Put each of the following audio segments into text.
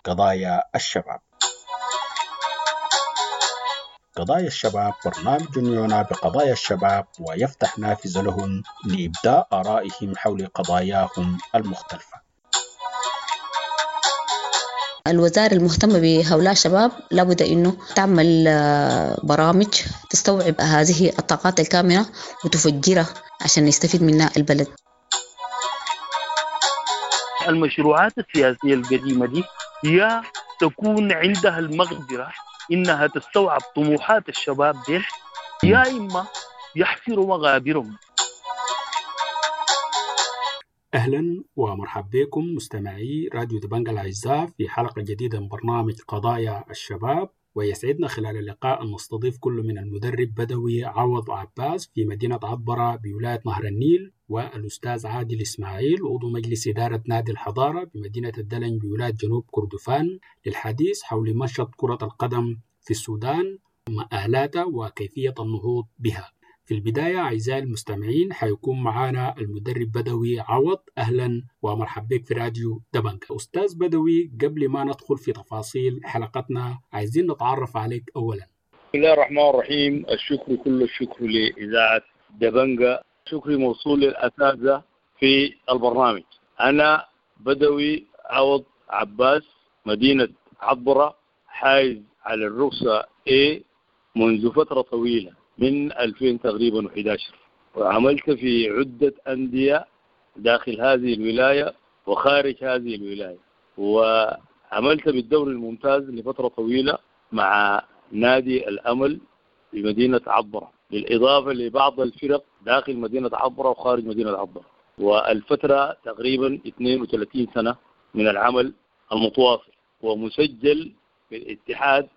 قضايا الشباب. قضايا الشباب برنامج يعنى بقضايا الشباب ويفتح نافذة لهم لإبداء آرائهم حول قضاياهم المختلفة. الوزارة المهتمة بهؤلاء الشباب لابد أنه تعمل برامج تستوعب هذه الطاقات الكامنة وتفجرها عشان يستفيد منها البلد. المشروعات السياسية القديمة دي يا تكون عندها المقدرة إنها تستوعب طموحات الشباب دي، يا إما يحفروا مغابرهم. أهلا ومرحبا بكم مستمعي راديو دبنجا الأعزاء في حلقة جديدة من برنامج قضايا الشباب، ويسعدنا خلال اللقاء أن نستضيف كل من المدرب بدوي عوض عباس في مدينة عطبرة بولاية نهر النيل، والأستاذ عادل إسماعيل عضو مجلس إدارة نادي الحضارة بمدينة الدلنج بولاية جنوب كردفان، للحديث حول منشط كرة القدم في السودان، مآلاتها وكيفية النهوض بها. في البداية أعزائي المستمعين حيكون معنا المدرب بدوي عوض. أهلا ومرحبا بك في راديو دبنجا. أستاذ بدوي، قبل ما ندخل في تفاصيل حلقتنا عايزين نتعرف عليك أولا. بسم الله الرحمن الرحيم. الشكر كل الشكر لإذاعة دبنجا، شكري موصول للأساتذة في البرنامج. أنا بدوي عوض عباس، مدينة عطبرة، حائز على الرخصة A منذ فترة طويلة من 2000 تقريبا 11، وعملت في عدة أندية داخل هذه الولاية وخارج هذه الولاية، وعملت بالدوري الممتاز لفترة طويلة مع نادي الأمل بمدينة عطبرة، بالإضافة لبعض الفرق داخل مدينة عطبرة وخارج مدينة عطبرة. والفترة تقريبا 32 سنة من العمل المتواصل، ومسجل بالاتحاد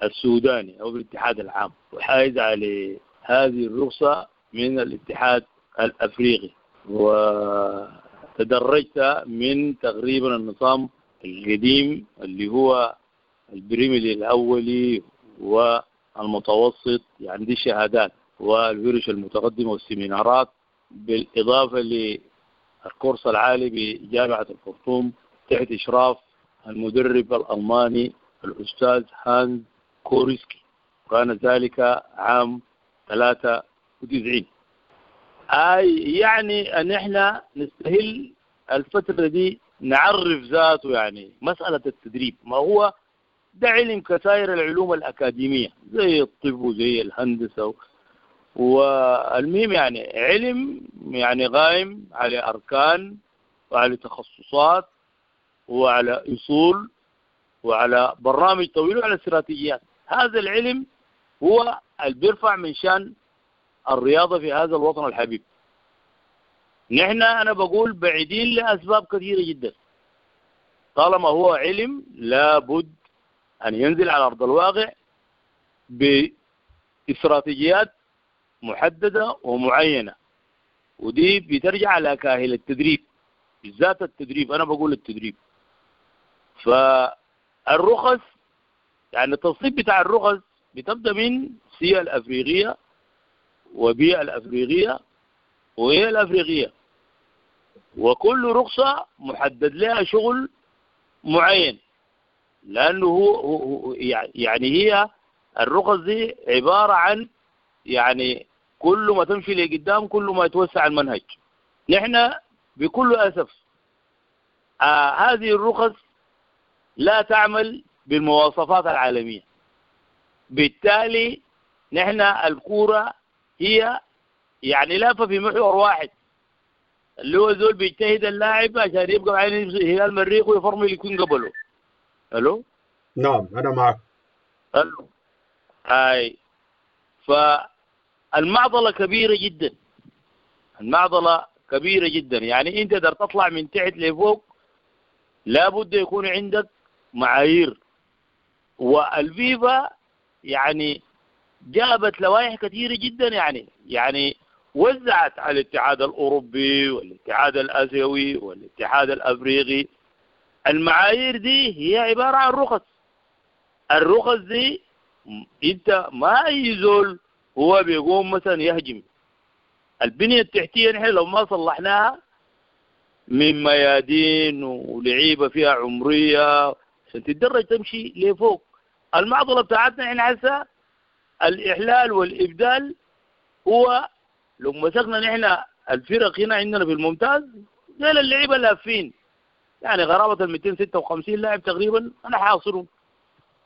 السوداني أو بالاتحاد العام، وحائز على هذه الرخصة من الاتحاد الأفريقي. وتدرجت من تقريبا النظام القديم اللي هو البريميلي الأولي والمتوسط، يعني دي شهادات، والورش المتقدمة والسيمينارات، بالإضافة للكورس العالي بجامعة الخرطوم تحت إشراف المدرب الألماني الأستاذ هانز كوريسكي، كان ذلك عام 93. أي يعني أن إحنا نستهل الفترة دي نعرف ذاته، يعني مسألة التدريب ما هو ده علم كسائر العلوم الأكاديمية زي الطب وزي الهندسة، والمهم يعني علم يعني قائم على أركان وعلى تخصصات وعلى أصول وعلى برنامج طويل وعلى استراتيجيات. هذا العلم هو اللي بيرفع من شان الرياضة في هذا الوطن الحبيب. نحن أنا بقول بعيدين لأسباب كثيرة جدا. طالما هو علم لابد أن ينزل على أرض الواقع باستراتيجيات محددة ومعينة، ودي بترجع على كاهل التدريب، بالذات التدريب. أنا بقول التدريب. فالرخص يعني التصنيف بتاع الرخص بتبدأ من C الأفريقية و B الأفريقية و A الأفريقية، وكل رخصة محدد لها شغل معين، لأنه هو يعني هي الرخص دي عبارة عن يعني كل ما تمشي لقدام كل ما يتوسع المنهج. نحن بكل أسف هذه الرخص لا تعمل بالمواصفات العالمية، بالتالي نحن الكورة هي يعني لافة في محور واحد، اللي هو زول بيجتهد اللاعب عشان يبقى معين هلال مريخ ويفرمل يكون قبله. الو؟ نعم انا معك. الو. اي فالمعضلة كبيرة جدا، المعضلة كبيرة جدا. يعني انت تقدر تطلع من تحت لفوق لابد يكون عندك معايير، والفيفا يعني جابت لوائح كثيرة جدا، يعني وزعت على الاتحاد الأوروبي والاتحاد الآسيوي والاتحاد الأفريقي. المعايير دي هي عبارة عن رخص. الرخص دي انت ما أي زول هو بيقوم مثلا يهجم البنية التحتية. نحن لو ما صلحناها من ميادين ولعيبة فيها عمرية عشان تتدرج تمشي لفوق. المعضلة بتاعتنا احنا هسه الاحلال والابدال، هو لو مسكنا نحن الفرق هنا عندنا في الممتاز ديل اللعيبة لافين، يعني غرابه ال 256 لاعب تقريبا انا حاصرهم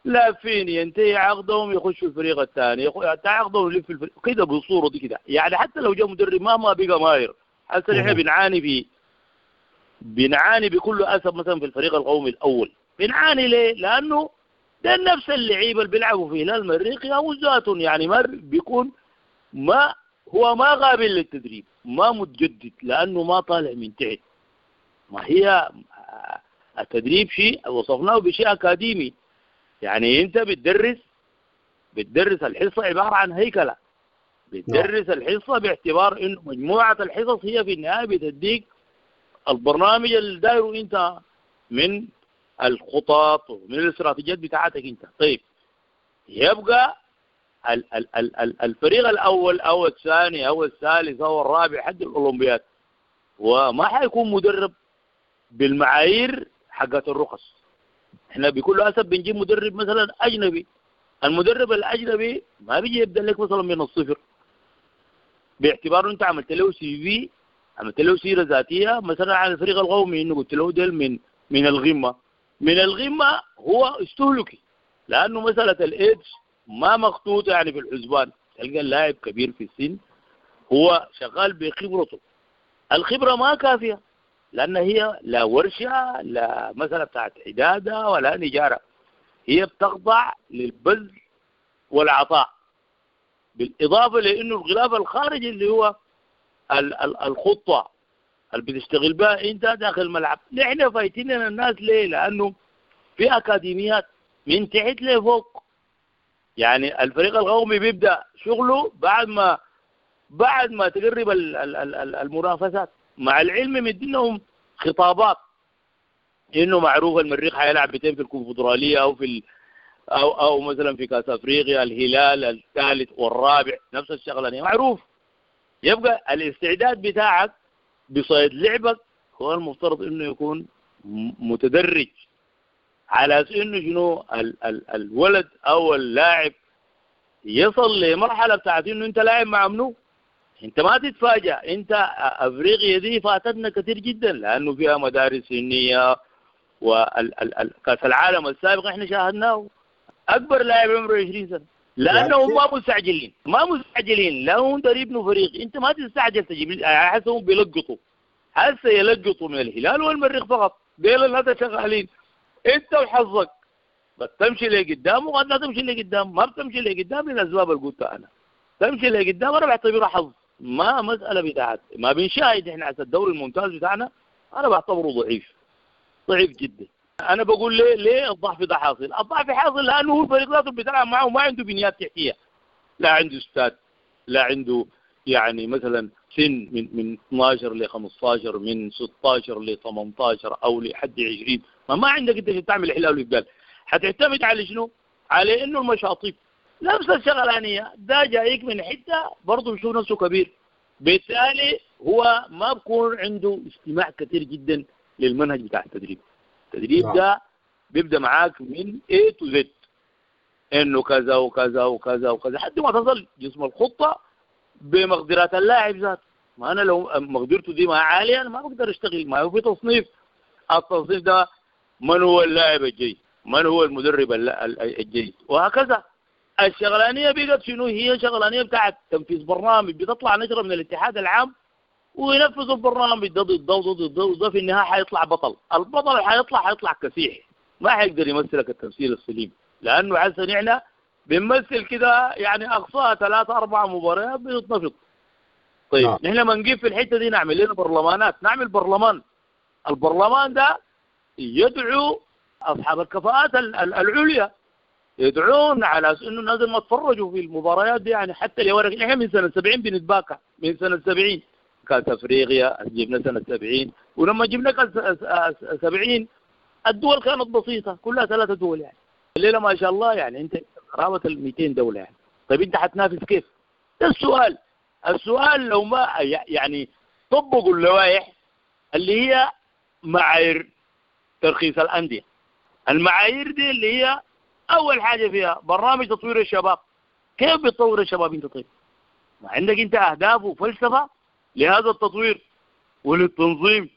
لافين، ينتهي عقدهم يخشوا الفريق الثاني، ينتهي عقدهم يلف الفريق كده بالصورة دي كده. يعني حتى لو جاء مدرب مهما بقى ماهر، هسه نحن بنعاني بكل اسف مثلا في الفريق القومي الاول بنعاني ليه؟ لانه ده نفس اللعيبة اللي بيلعبوا في هلال المريخ او ذاتهم، يعني ما بيكون ما هو ما قابل للتدريب، ما متجدد لانه ما طالع من تحت. ما هي التدريب شيء وصفناه بشيء اكاديمي، يعني انت بتدرس الحصة عبارة عن هيكله، بتدرس الحصة باعتبار انه مجموعة الحصص هي في النهاية بتديك البرنامج اللي دايرة انت من الخطط ومن الاستراتيجيات بتاعتك انت. طيب يبقى الفريق الاول او الثاني او الثالث او الرابع حد الاولمبياد وما حيكون مدرب بالمعايير حقت الرخص. احنا بكل اسف بنجيب مدرب مثلا اجنبي، المدرب الاجنبي ما بيجي يبدا لك مثلا من الصفر، باعتباره انت عملت له CV، عملت له سيره ذاتية مثلا عن الفريق القومي، انه قلت له ديل من الغمة، من الغمة هو استهلكي، لانه مسالة الايدز ما مخطوطة يعني في الحسبان. تلقى اللاعب كبير في السن هو شغال بخبرته، الخبرة ما كافيه لان هي لا ورشه لا مثلا بتاعت عداده ولا نجاره، هي بتخضع للبذل والعطاء، بالاضافة لانه الغلاف الخارجي اللي هو الخطة اللي بتشتغل بها انت داخل الملعب. نحن فايتين الناس ليه؟ لانه في اكاديميات من تحت لفوق، يعني الفريق القومي بيبدا شغله بعد ما تقرب المنافسات، مع العلم مدينهم خطابات انه معروف المريخ حيلعب بتين في الكونفدراليه او في او مثلا في كاس افريقيا، الهلال الثالث والرابع نفس الشغلانيه معروف. يبقى الاستعداد بتاعك بصيد لعبك هو المفترض انه يكون متدرج، على انه شنو الولد او اللاعب يصل لمرحلة بتاعت انه انت لاعب مع منو، انت ما تتفاجأ. انت افريقيا دي فاتتنا كثير جدا لانه فيها مدارس سنية، وكاس العالم السابق احنا شاهدناه اكبر لاعب عمره 20 سنة، لانهم ما مستعجلين، ما مستعجلين، لا هم يبنوا فريق. انت ما تستعجل تجيب، حسهم بيلقطوا، هسه يلقطوا من الهلال والمريخ فقط، ديل الناس شغالين. انت وحظك بس تمشي لقدام وقد لا تمشي لقدام، ما بتمشي لقدام للاسباب اللي قلتها انا. تمشي لقدام انا بعتبرها حظ، ما مسالة بتاعت ما بنشاهد احنا على الدوري الممتاز بتاعنا، انا بعتبره ضعيف، ضعيف جدا. انا بقول ليه الضعف ده حاصل؟ الضعف حاصل لانه هو الفريق ذاته بيتلعب معه ما عنده بنيات تحتيه، لا عنده استاد، لا عنده يعني مثلا سن من 12 ل 15، من 16 ل 18 او لحد 20، ما عندك انت تعمل حلال وابدال. حتعتمد على شنو؟ على انه المشاطيب نفس الشغلانيه، ده جايك من حتة برضه بيشوف نفسه كبير، بالتالي هو ما بكون عنده استماع كثير جدا للمنهج بتاع التدريب. التدريب ده بيبدا معاك من A to Z، انه كذا وكذا وكذا وكذا لحد ما تصل جسم الخطة بمقدرات اللاعب ذاته. ما انا لو مقدرته دي ما عالية انا ما بقدر اشتغل. ما هو في تصنيف، التصنيف ده من هو اللاعب الجيد، من هو المدرب الجيد، وهكذا. الشغلانيه بقت شنو؟ هي شغلانيه بتاعت تنفيذ برنامج، بتطلع نشره من الاتحاد العام وينفذوا البرنامج ده ضد ده وضد ده وده، في النهاية حيطلع بطل. البطل اللي حيطلع كسيح، ما حيقدر يمثلك التمثيل السليم، لانه عسى نحن بنمثل كده يعني اقصاها 3 4 مباريات بنتنفض. طيب نحن ما نجيب في الحتة دي نعمل لنا برلمانات، نعمل برلمان. البرلمان ده يدعو اصحاب الكفاءات العليا، يدعون على انه الناس ما تفرجوا في المباريات دي، يعني حتى اللي ورق نحن من سنة 70 بنتباكى، من سنة 70 كاس افريقيا جبنا سنة 70، ولما جبنا كاس 70 الدول كانت بسيطة كلها 3 دول يعني. الليلة ما شاء الله يعني انت قرابة ال 200 دولة يعني. طيب انت حتنافس كيف؟ ده السؤال. السؤال لو ما يعني طبقوا اللوائح اللي هي معايير ترخيص الاندية. المعايير دي اللي هي اول حاجة فيها برنامج تطوير الشباب. كيف بتطور الشباب انت؟ طيب ما عندك انت اهداف وفلسفة لهذا التطوير وللتنظيم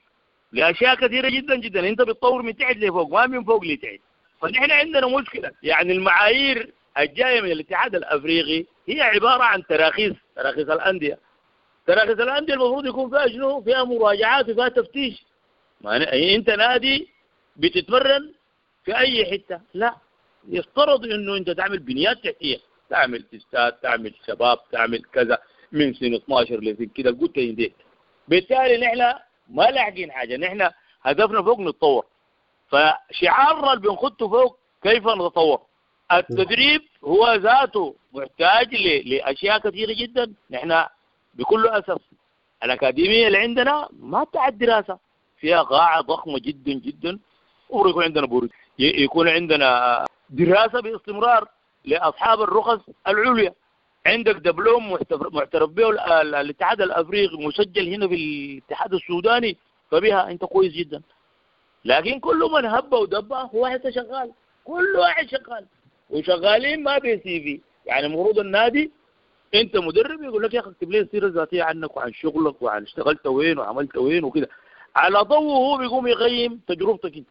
لاشياء كثيرة جدا جدا. انت بتطور من تحت لفوق ما من فوق لتحت. فنحن عندنا مشكلة، يعني المعايير الجاية من الاتحاد الافريقي هي عبارة عن تراخيص الاندية. تراخيص الاندية المفروض يكون فيها شنو؟ فيها مراجعات وفيها تفتيش. ما انت نادي بتتمرن في اي حتة، لا، يفترض انه انت تعمل بنيات تحتيه، تعمل استاد، تعمل شباب، تعمل كذا من سنة 12 لسنه كده قلت ينديك. بالتالي نحن ما لاحقين حاجة، نحن هدفنا فوق نتطور. فشعارنا اللي بنخطه فوق كيف نتطور. التدريب هو ذاته محتاج لاشياء كثيرة جدا. نحن بكل اسف الاكاديمية اللي عندنا ما بتاع الدراسة، فيها قاعة ضخمة جدا جدا، ويكون عندنا برج، يكون عندنا دراسة باستمرار لاصحاب الرخص العليا. عندك دبلوم معترف به الاتحاد الافريقي مسجل هنا في الاتحاد السوداني، فبها انت كويس جدا. لكن كل من هب ودب هو حتى شغال، كل واحد شغال وشغالين ما بي CV. يعني المفروض النادي انت مدرب يقول لك يا اخي اكتب لي السيرة الذاتية عنك وعن شغلك وعن اشتغلت وين وعملت وين وكده، على ضوءه هو بيقوم يقيم تجربتك انت.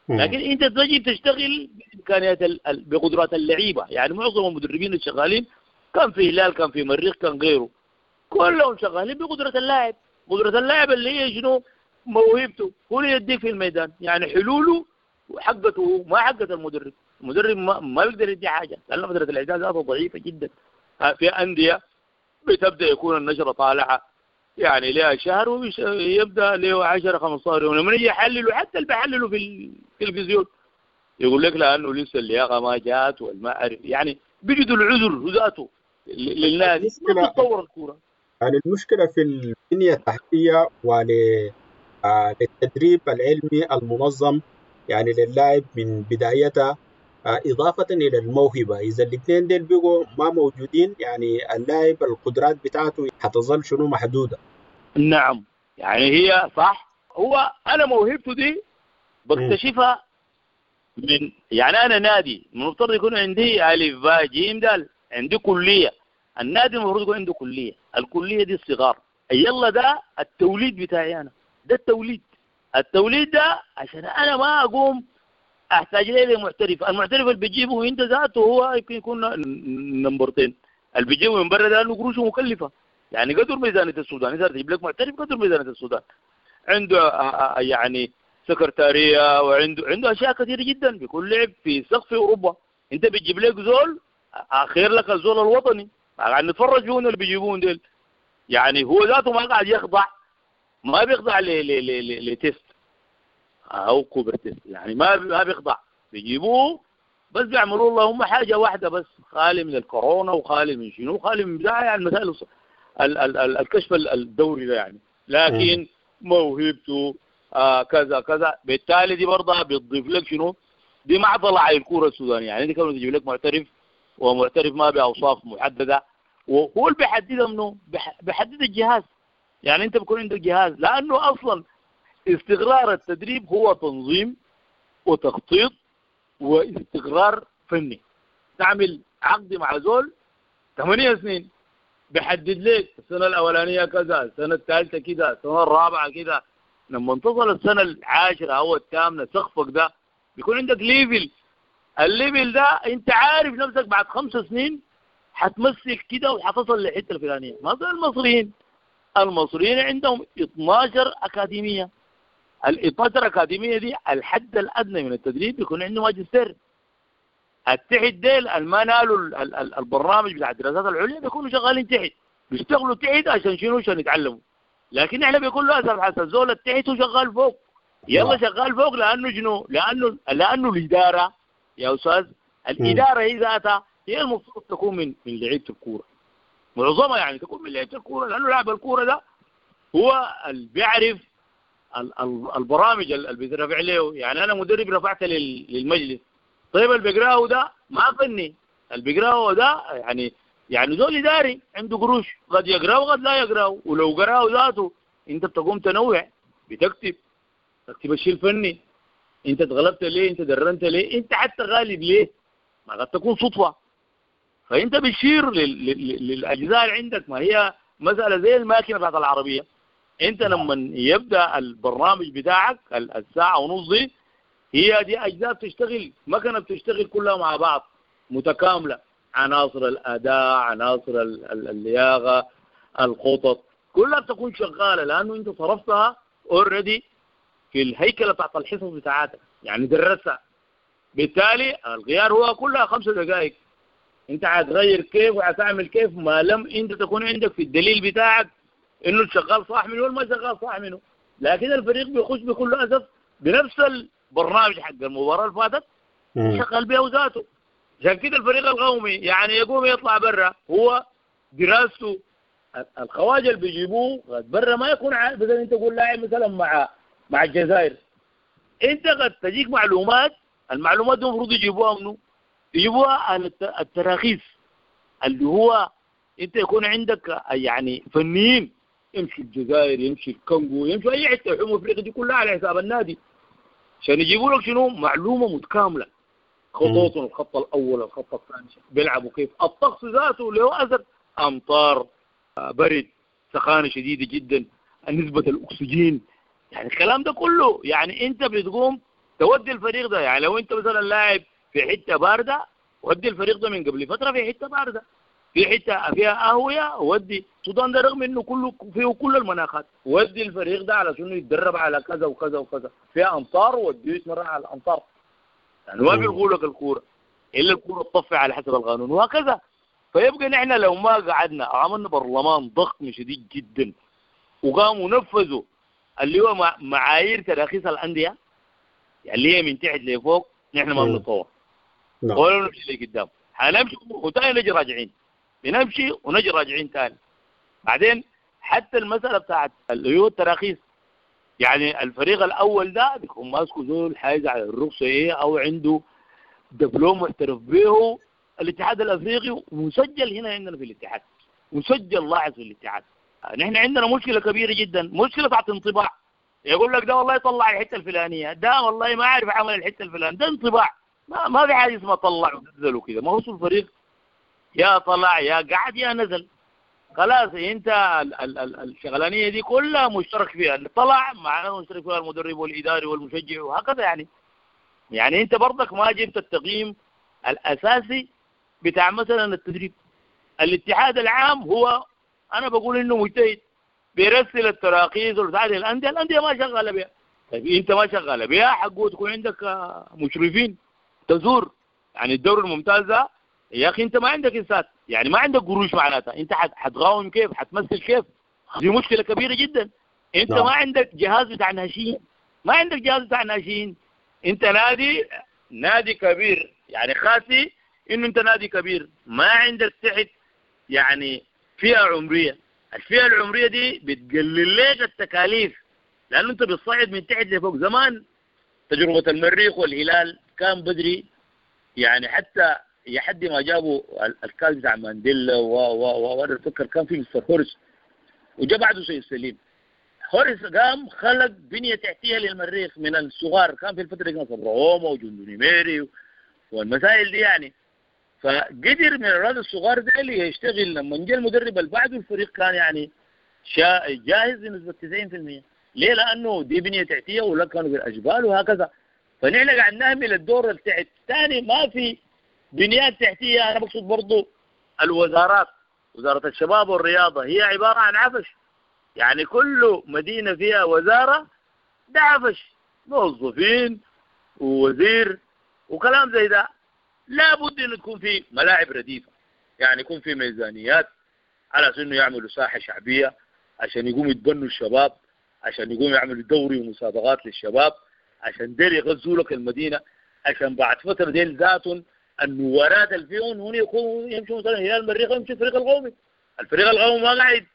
لكن انت تجي تشتغل بامكانيات بقدرات اللعيبة. يعني معظم المدربين الشغالين كان في هلال، كان في مريخ، كان غيره، كلهم شغالين بقدره اللاعب. قدره اللاعب اللي هي شنو؟ موهبته، هو اللي يديك في الميدان، يعني حلوله وحقته ما حقه المدرب. المدرب ما بيقدر يدي حاجة لان فترة الاعداد ذاته ضعيفة جدا. في اندية بتبدا يكون النشرة طالعه يعني لها شهر ويبدا له 10 15 يوم، لما يجي يحللوا حتى اللي بيحللوا في التلفزيون يقول لك لانه لسه اللياقة ما جات والما عارف، يعني بيجدوا العذر ذاته للنادي. ما تتطور الكورة. يعني المشكلة في البنية التحتية وللتدريب العلمي المنظم يعني للاعب من بدايتها، إضافة إلى الموهبة. إذا الاثنين ديل بقوا ما موجودين يعني اللاعب القدرات بتاعته حتظل شنو؟ محدودة. نعم، يعني هي صح. هو أنا موهبته دي بكتشفها من، يعني أنا نادي المفترض يكون عندي ألف باء جيم دال، عندي كلية. النادي المفروض يكون عنده كلية، الكلية دي الصغار. يلا ده التوليد بتاعي أنا، ده التوليد. التوليد ده عشان أنا ما أقوم احتاج ليه لمحترف. المحترف اللي بيجيبه انت ذاته هو يمكن يكون نمبرتين، اللي بيجيبه من برا ده لانه قروشه مكلفة، يعني قدر ميزانية السودان. اذا تجيب لك محترف قدر ميزانية السودان، عنده يعني سكرتاريه وعنده اشياء كثيرة جدا، بيكون لعب في سقف اوروبا. انت بتجيب لك زول اخير لك الزول الوطني قاعد نتفرج فيهم اللي بيجيبون ديل، يعني هو ذاته ما قاعد يخضع، ما بيخضع ل test او Cooper test، يعني ما بيخضع. بيجيبوه بس بيعملوا لهم حاجة واحدة بس، خالي من الكورونا وخالي من شنو خالي من بتاع، يعني مسائل الكشف الدوري ده يعني. لكن موهبته كذا كذا، بالتالي دي برضه بتضيف لك شنو؟ دي معضلة على الكورة السودانية. يعني دي كمان تجيب لك معترف، ومعترف ما باوصاف محددة، وهو اللي بيحددها منه؟ بيحدد الجهاز. يعني انت بيكون عندك جهاز، لانه اصلا استقرار التدريب هو تنظيم وتخطيط واستقرار فني. تعمل عقد مع زول 8 سنين، بيحدد لك السنة الأولانية كذا، السنة الثالثة كذا، السنة الرابعة كذا. لما تصل السنة العاشرة أو الثامنة سقفك ده بيكون عندك level. ال level ده انت عارف نفسك بعد 5 سنين حتمسك كده وحتصل للحتة الفلانية. ما زي المصريين، المصريين عندهم 12 أكاديمية. ال 12 أكاديمية دي الحد الأدنى من التدريب بيكون عنده ماجستير. التحت ديل ما نالوا البرنامج بتاع الدراسات العليا بيكونوا شغالين تحت، بيشتغلوا تحت عشان شنو؟ عشان يتعلموا. لكن احنا بيكون له أسف حسن زول التحت وشغال فوق. يلا شغال فوق لأنه شنو؟ لأنه الإدارة يا أستاذ، الإدارة هي ذاتها هي المفروض تكون من لعيبة الكورة، معظمها يعني تكون من لعيبة الكورة، لأنه لاعب الكورة ده هو اللي بيعرف البرامج اللي بيترفع له. يعني انا مدرب رفعت للمجلس، طيب اللي بيقراه ده ما فني، اللي بيقراه ده يعني زول اداري عنده قروش، قد يقراه وقد لا يقراه، ولو قراه ذاته انت بتقوم تنوع، بتكتب تكتب الشيء الفني، انت اتغلبت ليه، انت درنت ليه، انت حتى غالب ليه، ما قد تكون صدفة. فانت بتشير للاجزاء اللي عندك. ما هي مسالة زي الماكينة بتاعت العربية، انت لما يبدا البرنامج بتاعك الساعة ونص دي، هي دي اجزاء بتشتغل، مكنه بتشتغل كلها مع بعض متكاملة، عناصر الاداء، عناصر اللياقة، الخطط، كلها بتكون شغالة، لانه انت صرفتها already في الهيكله بتاعت الحصص بتاعتك، يعني درستها. بالتالي الغيار هو كلها 5 دقائق، انت هتغير كيف وهتعمل كيف ما لم انت تكون عندك في الدليل بتاعك انه شغال صح منه ولا ما شغال صح منه. لكن الفريق بيخش بكل اسف بنفس البرنامج حق المباراة اللي فاتت شغال بيه ذاته. عشان كده الفريق القومي يعني يقوم يطلع برا، هو دراسته الخواجه اللي بيجيبوه برا ما يكون مثلا انت تقول لاعب مثلا مع الجزائر، انت قد تجيك معلومات، المعلومات دي المفروض يجيبوها منه، يجيبوها على التراخيص اللي هو انت يكون عندك يعني فنيين يمشي الجزائر، يمشي الكونغو، يمشي اي حتة، يحوموا افريقيا دي كلها على حساب النادي، عشان يجيبوا لك شنو معلومة متكاملة، خطوطهم، الخط الاول، الخط الثاني، بيلعبوا كيف، الطقس ذاته له اثر، امطار، برد، سخانه شديدة جدا، نسبه الاكسجين، يعني الكلام ده كله. يعني انت بتقوم تودي الفريق ده، يعني لو انت مثلا لاعب في حتة باردة، ودي الفريق ده من قبل فترة في حتة باردة، في حتة فيها اهويه، ودي السودان ده رغم انه كله فيه كل المناخات، ودي الفريق ده على شنو يتدرب على كذا وكذا وكذا، فيها امطار وديه يتمرن على الامطار، يعني ما بيلغوا لك الكورة الا الكورة تطفي على حسب القانون وهكذا. فيبقى نحن لو ما قعدنا عملنا برلمان ضخم شديد جدا وقاموا نفذوا اللي هو معايير تراخيص الاندية، يعني اللي هي من تحت لفوق، نحن ما بنتطور ولا نمشي لقدام، حنمشي وتاني نجي راجعين، بنمشي ونجي راجعين تاني. بعدين حتى المسألة بتاعت اللي هو التراخيص، يعني الفريق الأول ده بيكون ماسكه زول حايز على الرخصة إيه، أو عنده دبلوم محترف به الاتحاد الأفريقي ومسجل هنا عندنا في الاتحاد، مسجل لاحظ في الاتحاد. نحن عندنا مشكلة كبيرة جدا، مشكلة بتاعت انطباع، يقول لك ده والله طلع الحتة الفلانية، ده والله ما أعرف عمل الحتة الفلانية، ده انطباع، ما في حاجة اسمها طلع ونزل وكده. ما هو الفريق يا طلع يا قعد يا نزل، خلاص انت الشغلانيه دي كلها مشترك فيها، اللي طلع معناه مشترك فيها المدرب والاداري والمشجع وهكذا. يعني انت برضك ما جبت التقييم الاساسي بتاع مثلا التدريب. الاتحاد العام هو انا بقول انه مجتهد، بيرسل التراخيص والبتاع للاندية، الاندية ما شغالة بها. طيب انت ما شغالة بها، حقه تكون عندك مشرفين تزور. يعني الدوري الممتاز ده يا اخي انت ما عندك انسات، يعني ما عندك قروش، معناتها انت حتغاوم كيف، حتمثل كيف، دي مشكلة كبيرة جدا. انت ما عندك جهاز بتاع ناشئين، ما عندك جهاز بتاع ناشئين، انت نادي كبير، يعني خاسي انه انت نادي كبير، ما عندك تحت يعني فئة عمرية. الفئة العمرية دي بتقلل لك التكاليف، لانه انت بتصعد من تحت لفوق. زمان تجربه المريخ والهلال كان بدري، يعني حتى لحد ما جابوا الكاس بتاع مانديلا و انا اتذكر كان في مستر هورس، وجا بعده سيد سليم. هورس قام خلق بنيه تحتيه للمريخ من الصغار، كان في الفترة دي كان صبرهومه وجندوني ميري والمسائل دي يعني، فقدر من الاولاد الصغار ديل يشتغل. لما جاء المدرب اللي بعده الفريق كان يعني جاهز بنسبة 90%. ليه؟ لانه دي بنيه تحتيه ولا كانوا بالاشبال وهكذا. فنحن قاعد نهمل الدور التحت. ثاني ما في بنيات تحتيه. انا بقصد برضو الوزارات، وزارة الشباب والرياضة هي عبارة عن عفش، يعني كل مدينة فيها وزارة ده عفش، موظفين ووزير وكلام زي ده. لابد ان تكون في ملاعب رديفه، يعني يكون في ميزانيات على انه يعملوا ساحة شعبية عشان يقوموا يتبنوا الشباب، عشان يقوموا يعملوا دوري ومسابقات للشباب، عشان ديل يغزوا لك المدينة، عشان بعد فترة ديل ذاتهم النوارات اللي فيهم هون يكونوا يمشوا مثلا هلال المريخ ويمشي الفريق القومي. الفريق القومي ما قاعد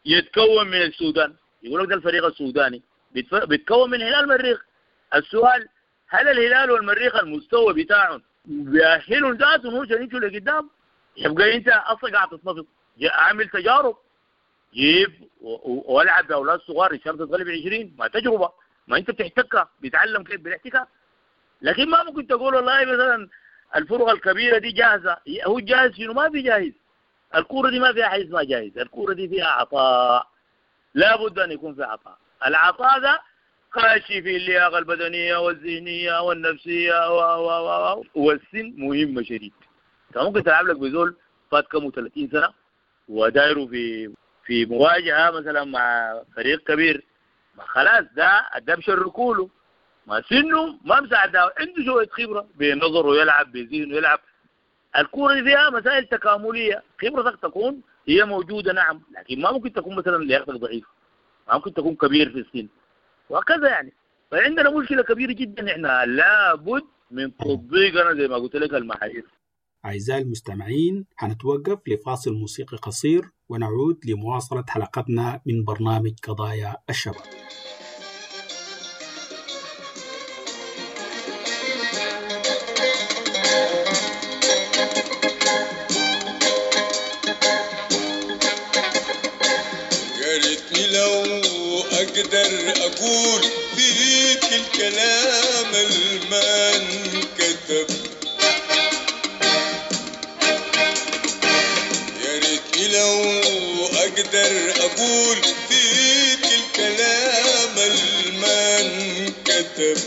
يتكون من السودان، يقول لك ده الفريق السوداني بيتكون من هلال المريخ. السؤال هل الهلال والمريخ المستوى بتاعهم بيأهلوا ذاتهم عشان يمشوا لقدام؟ يبقى انت اصلا قاعد تتنفض. اعمل تجارب، جيب والعب باولاد صغار ان شاء الله تتغلب 20، ما تجربه. ما انت بتحتكها، بيتعلم كيف بالاحتكاك. لكن ما ممكن تقول والله مثلا الفرق الكبيرة دي جاهزة. هو جاهز شنو؟ ما في جاهز. الكورة دي ما فيها حاجة اسمها جاهز، الكورة دي فيها عطاء، لابد ان يكون في عطاء. العطاء ده خاشي في اللياقة البدنية والذهنية والنفسية و والسن مهمة شديد. انت ممكن تلعب لك بزول فات كم 30 سنة ودايره في مواجهة مثلا مع فريق كبير، ما خلاص ده بشركوله، ما سنة ما مساعدة، عنده شوية خبره بنظره يلعب، بذهنه يلعب. الكورة دي فيها مسائل تكامليه، خبرتك تكون هي موجودة نعم، لكن ما ممكن تكون مثلا لياقتك ضعيفة، ما ممكن تكون كبير في السن وهكذا يعني. فعندنا مشكلة كبيرة جدا، احنا لابد من تطبيقنا زي ما قلت لك المعايير. أعزائي المستمعين، هنتوقف لفاصل موسيقي قصير ونعود لمواصلة حلقتنا من برنامج قضايا الشباب. يا ريتني لو أقدر أقول فيك الكلام الما انكتب، يا ريتني لو أقدر أقول فيك الكلام الما انكتب،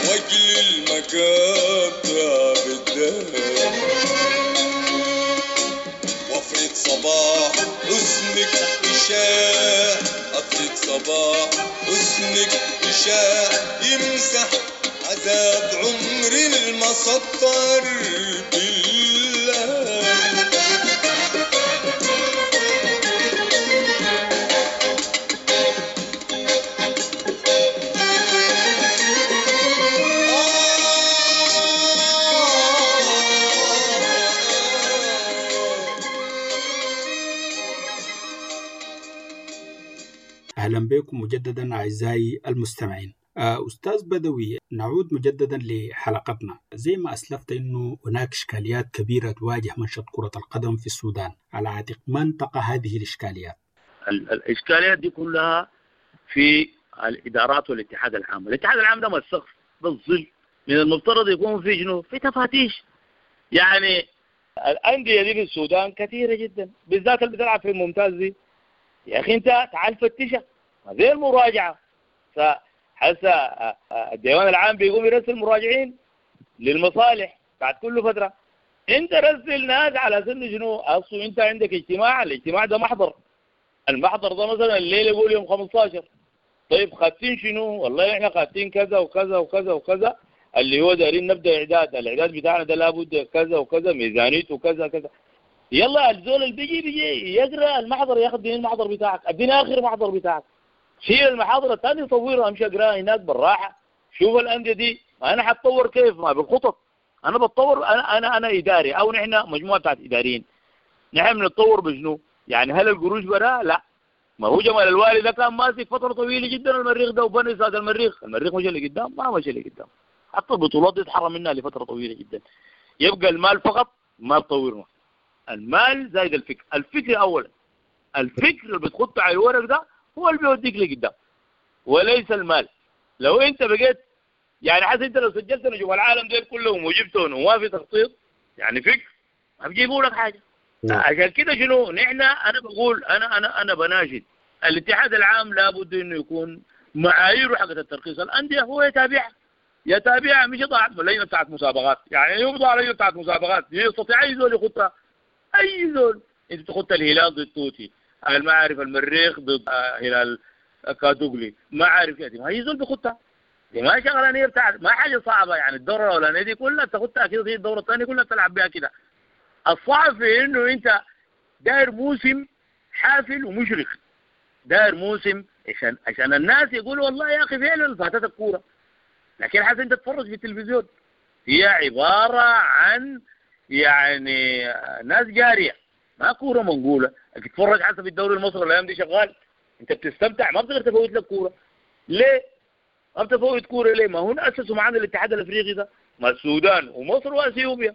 وأجل المقاطع بالذهب، وافرد صباح حزنك إشاع، أفرد صباح حزنك إشاع، يمسح عذاب عمري المسطر بالله. أهلا بكم مجددا أعزائي المستمعين. أستاذ بدوي، نعود مجددا لحلقتنا. زي ما أسلفت أنه هناك إشكاليات كبيرة تواجه منشط كرة القدم في السودان، على عاتق من تقع هذه الإشكاليات؟ الإشكاليات دي كلها في الإدارات والاتحاد العام. الاتحاد العام ده ما السقف، ده الظل. من المفترض يكون في شنو؟ في تفاتيش. يعني الأندية دي في السودان كثيرة جدا، بالذات اللي بتلعب في الممتاز دي. يا أخي أنت تعال فتشها، ما زي المراجعة. فحسا الديوان العام بيقوم يرسل مراجعين للمصالح بعد كل فترة. أنت رسل ناس على سن شنو؟ أصل أنت عندك اجتماع، الاجتماع ده محضر، المحضر ده مثلا الليلة يقول يوم 15. طيب خاتين شنو؟ والله احنا خاتين كذا وكذا وكذا وكذا، اللي هو دايرين نبدا اعداد، الاعداد بتاعنا ده لابد كذا وكذا، ميزانيته كذا كذا. يلا الزول اللي بيجي يقرا المحضر، ياخذ دين المحضر بتاعك، اديني اخر محضر بتاعك، شيل المحاضرة الثانية صورها، امشي اقراها هناك بالراحة. شوف الاندية دي انا حتطور كيف؟ ما بالخطط. انا بتطور، انا اداري، او نحن مجموعة بتاعت اداريين، نحن بنتطور بشنو؟ يعني هل القروش برا؟ لا. ما هو جمال الوالي ده كان ماسك فترة طويلة جدا المريخ ده، وبني ساد المريخ، المريخ مش اللي قدام، ما مش اللي قدام، حتى البطولات دي اتحرم منها لفترة طويلة جدا. يبقى المال فقط ما بطورنا، المال زايد الفكر، الفكر اولا، الفكر اللي بتخطه على الورق ده هو اللي بيوديك لقدام وليس المال. لو انت بقيت يعني حاسس انت لو سجلت نجوم العالم دول كلهم وجبتهم وما في تخطيط يعني فكر، ما بيجيبوا لك حاجة. عشان كده شنو نحن، انا بقول انا انا انا بناشد الاتحاد العام لابد انه يكون معاييره حقت الترخيص الاندية هو يتابعها، مش يضع لجنة بتاعت مسابقات. يعني يوضع لجنة بتاعت مسابقات يستطيع اي زول يخطها، اي زول. انت تخط الهلال ضد توتي، ما عارف المريخ ضد هلال كادوغلي، ما عارف كده، ما هي زول بيخطها. دي ما شغلانيه بتاعت، ما حاجة صعبة يعني. الدورة الاولانية دي كلها تاخدها كده، هي الدورة الثانية كلها تلعب بها كده. الصعب في انه انت داير موسم حافل ومشرق، داير موسم عشان الناس يقولوا والله يا اخي فعلا فاتتك كورة. لكن حاسس انت تتفرج في التلفزيون هي عبارة عن يعني ناس جارية، ما كورة منقوله. تتفرج حسب الدوري المصري الايام دي شغال، انت بتستمتع، ما بتقدر تفوت لك كورة. ليه؟ ما بتفوت كورة ليه؟ ما هو اسسوا معانا الاتحاد الافريقي ده، ما السودان ومصر واثيوبيا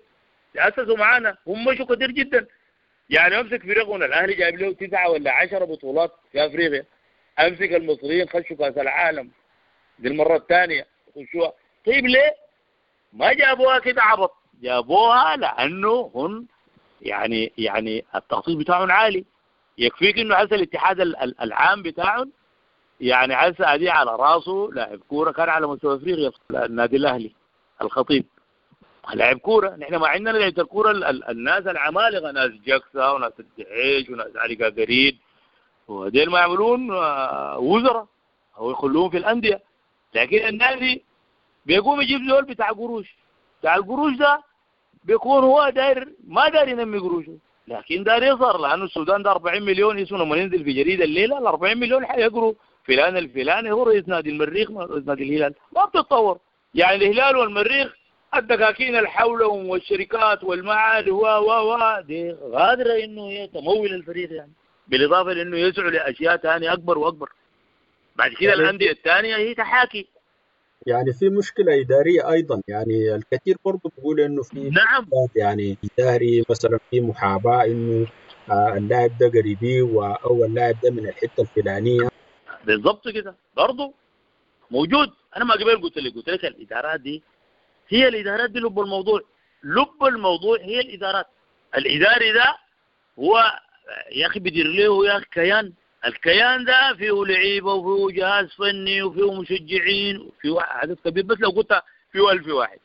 اسسوا معانا، هم مشوا كتير جدا. يعني امسك فريقنا الاهلي جايب له 9 ولا 10 بطولات في افريقيا، امسك المصريين خشوا كاس العالم دي المرة الثانية خشوها. طيب ليه ما جابوها كده عبط؟ جابوها لانه هم يعني التخطيط بتاعهم عالي. يكفيك انه هسه الاتحاد العام بتاعهم يعني هسه ادي على راسه لاعب كورة كان على مستوى افريقيا، النادي الاهلي الخطيب لاعب كورة. نحن ما عندنا لعيبة الكورة الناس العمالقة، ناس جاكسا وناس الدعيش وناس علي قاقرين، وديل ما يعملون وزراء او يخلوهم في الاندية. لكن النادي بيقوم يجيب زول بتاع قروش، بتاع القروش ده بيكون هو داير ما داير ينمي قروشه، لكن داير يظهر، لانه السودان ده 40 مليون يسون. لما ينزل في جريدة الليلة ال 40 مليون حيقروا فلان الفلاني هو رئيس نادي المريخ رئيس نادي الهلال. ما بتتطور يعني الهلال والمريخ الدكاكين اللي حولهم والشركات والمعاد و و و دي غادره انه هي تمول الفريق، يعني بالاضافة لانه يسعوا لاشياء ثانية اكبر واكبر. بعد كده الاندية الثانية هي تحاكي. يعني في مشكلة إدارية أيضا، يعني الكثير برضو بيقول إنه في نعم يعني إداري مثلا في محاباة إنه اللاعب ده قريبي أو اللاعب ده من الحتة الفلانية. بالضبط كده برضو موجود. أنا ما قبل قلت لك الإدارات دي هي الإدارات دي لب الموضوع، لب الموضوع هي الإدارات. الإداري ده هو يا أخي بيدير له يا أخي كيان، الكيان ده فيه لعيبة وفيه جهاز فني وفيه مشجعين وفيه عدد كبير. بس لو قلت فيه 1000 واحد،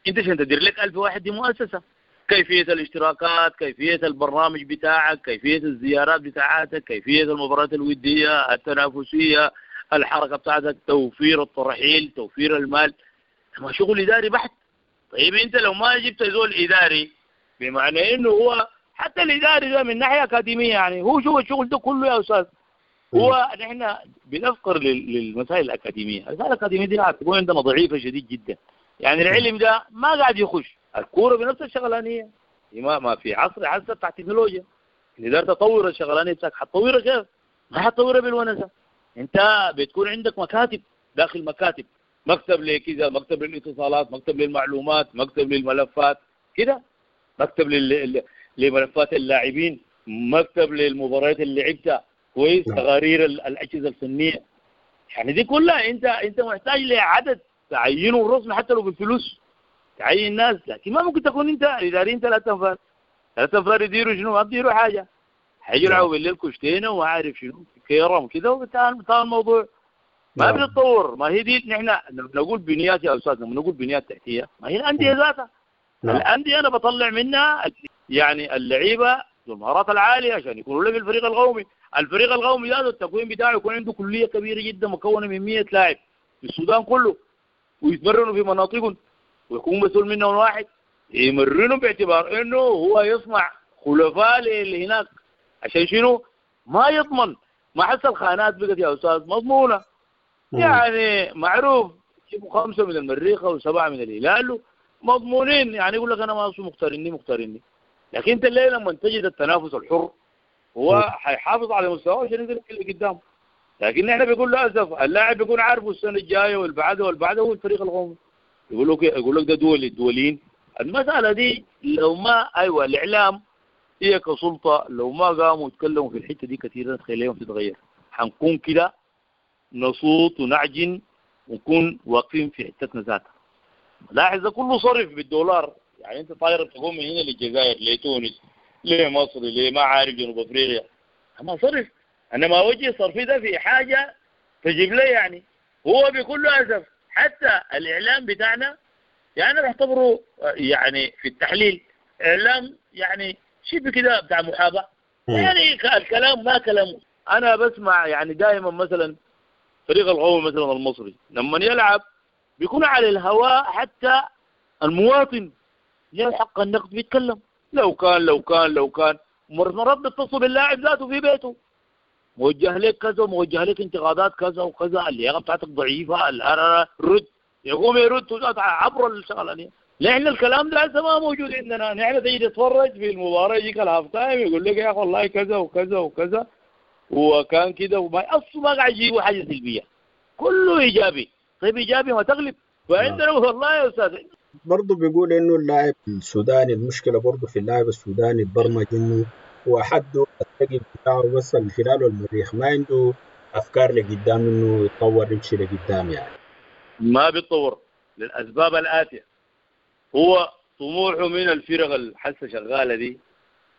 انت عشان تدير لك 1000 واحد دي مؤسسة، كيفية الاشتراكات، كيفية البرنامج بتاعك، كيفية الزيارات بتاعتك، كيفية المباريات الودية التنافسية، الحركة بتاعتك، توفير الترحيل، توفير المال، ما شغل إداري بحت. طيب انت لو ما جبت زول إداري، بمعنى انه هو حتى الإداري ده من ناحية أكاديمية يعني هو شو الشغل ده كله يا أستاذ. هو نحن بنفقر للمسائل الأكاديمية. المسائل الأكاديمية دي تكون عندنا ضعيفة شديد جدا. يعني العلم ده ما قاعد يخش الكورة بنفس الشغلانية. ما في عصر بتاع تكنولوجيا، إذا تطور الشغلانية بتاعك حتطورها كيف؟ ما حتطورها بالونسة. أنت بتكون عندك مكاتب داخل مكاتب، مكتب لكذا، مكتب للاتصالات، مكتب للمعلومات، مكتب للملفات كده، مكتب لملفات اللاعبين، مكتب للمباريات اللي لعبتها كويس، تقارير الاجهزة الفنية. يعني دي كلها انت محتاج لعدد تعينه الرسمي حتى لو بالفلوس تعين ناس. لكن ما ممكن تكون انت اداريين 3 انفار، 3 انفار يديروا شنو؟ ما بيديروا حاجة، حيلعبوا بالليل كشتينه وما عارف شنو كيرم كده وبتاع الموضوع ما بيتطور. ما هي دي نحن نقول بنيات يا استاذ، لما نقول بنيات تحتيه ما هي الاندية ذاتها. الاندية انا بطلع منها يعني اللعيبة ذو المهارات العالية عشان يكونوا له في الفريق القومي. الفريق القومي ذاته التكوين بتاعه يكون عنده كليه كبيرة جدا مكونة من 100 لاعب في السودان كله، ويتمرنوا في مناطقهم، ويكون مسؤول منهم واحد يمرنوا باعتبار انه هو يصنع خلفاء اللي هناك. عشان شنو؟ ما يضمن. ما حس الخانات بقت يا استاذ مضمونه، يعني معروف يجيبوا 5 من المريخ و7 من الهلال مضمونين، يعني يقول لك انا ما مختاريني. لكن انت الليلة لما تجد التنافس الحر هو حيحافظ على مستواه عشان ينزل اللي قدامه. لكن احنا بيقول للاسف اللاعب بيكون عارفه السنة الجاية والبعده والبعده هو الفريق القومي، يقول لك ده دولي الدوليين. المسالة دي لو ما ايوه الاعلام هي كسلطه لو ما قاموا يتكلموا في الحتة دي كثيرا تخيلهم تتغير. حنكون كده نصوت ونعجن ونكون واقفين في حتتنا ذاتها. لاحظ ده كله صرف بالدولار، يعني انت طاير تقوم من هنا للجزائر لتونس لمصر لما عارف جنوب افريقيا، ما صرف. انا ما وجه صرفي ده في حاجة تجيب لي، يعني هو بكل اسف حتى الاعلام بتاعنا يعني نعتبره يعني في التحليل اعلام يعني شبه كده بتاع محاباة، يعني الكلام ما كلام. انا بسمع يعني دائما مثلا فريق القومي مثلا المصري لما يلعب بيكون على الهواء، حتى المواطن له حق النقد بيتكلم، لو كان لو كان لو كان مرات بيتصل باللاعب ذاته في بيته، موجه لك كذا وموجه لك انتقادات كذا وكذا، اللياقة بتاعتك ضعيفة، رد، يقوم يرد عبر الشغلانيه. لان الكلام ده هسه ما موجود عندنا. نحن تيجي تتفرج في المباراة يجيك ال half time يقول لك يا اخي والله كذا وكذا وكذا وكان كده، وما اصلا ما قاعد يجيبوا حاجة سلبية، كله ايجابي. طيب ايجابي ما تغلب. فعندنا والله يا استاذ برضه بيقول انه اللاعب السوداني المشكلة برضه في اللاعب السوداني اتبرمج انه وحده الثقل بتاعه بس الهلال والمريخ، ما عنده افكار لقدام انه يتطور يمشي لقدام يعني. ما بيتطور للاسباب الاتية. هو طموحه من الفرق الحسه شغالة دي،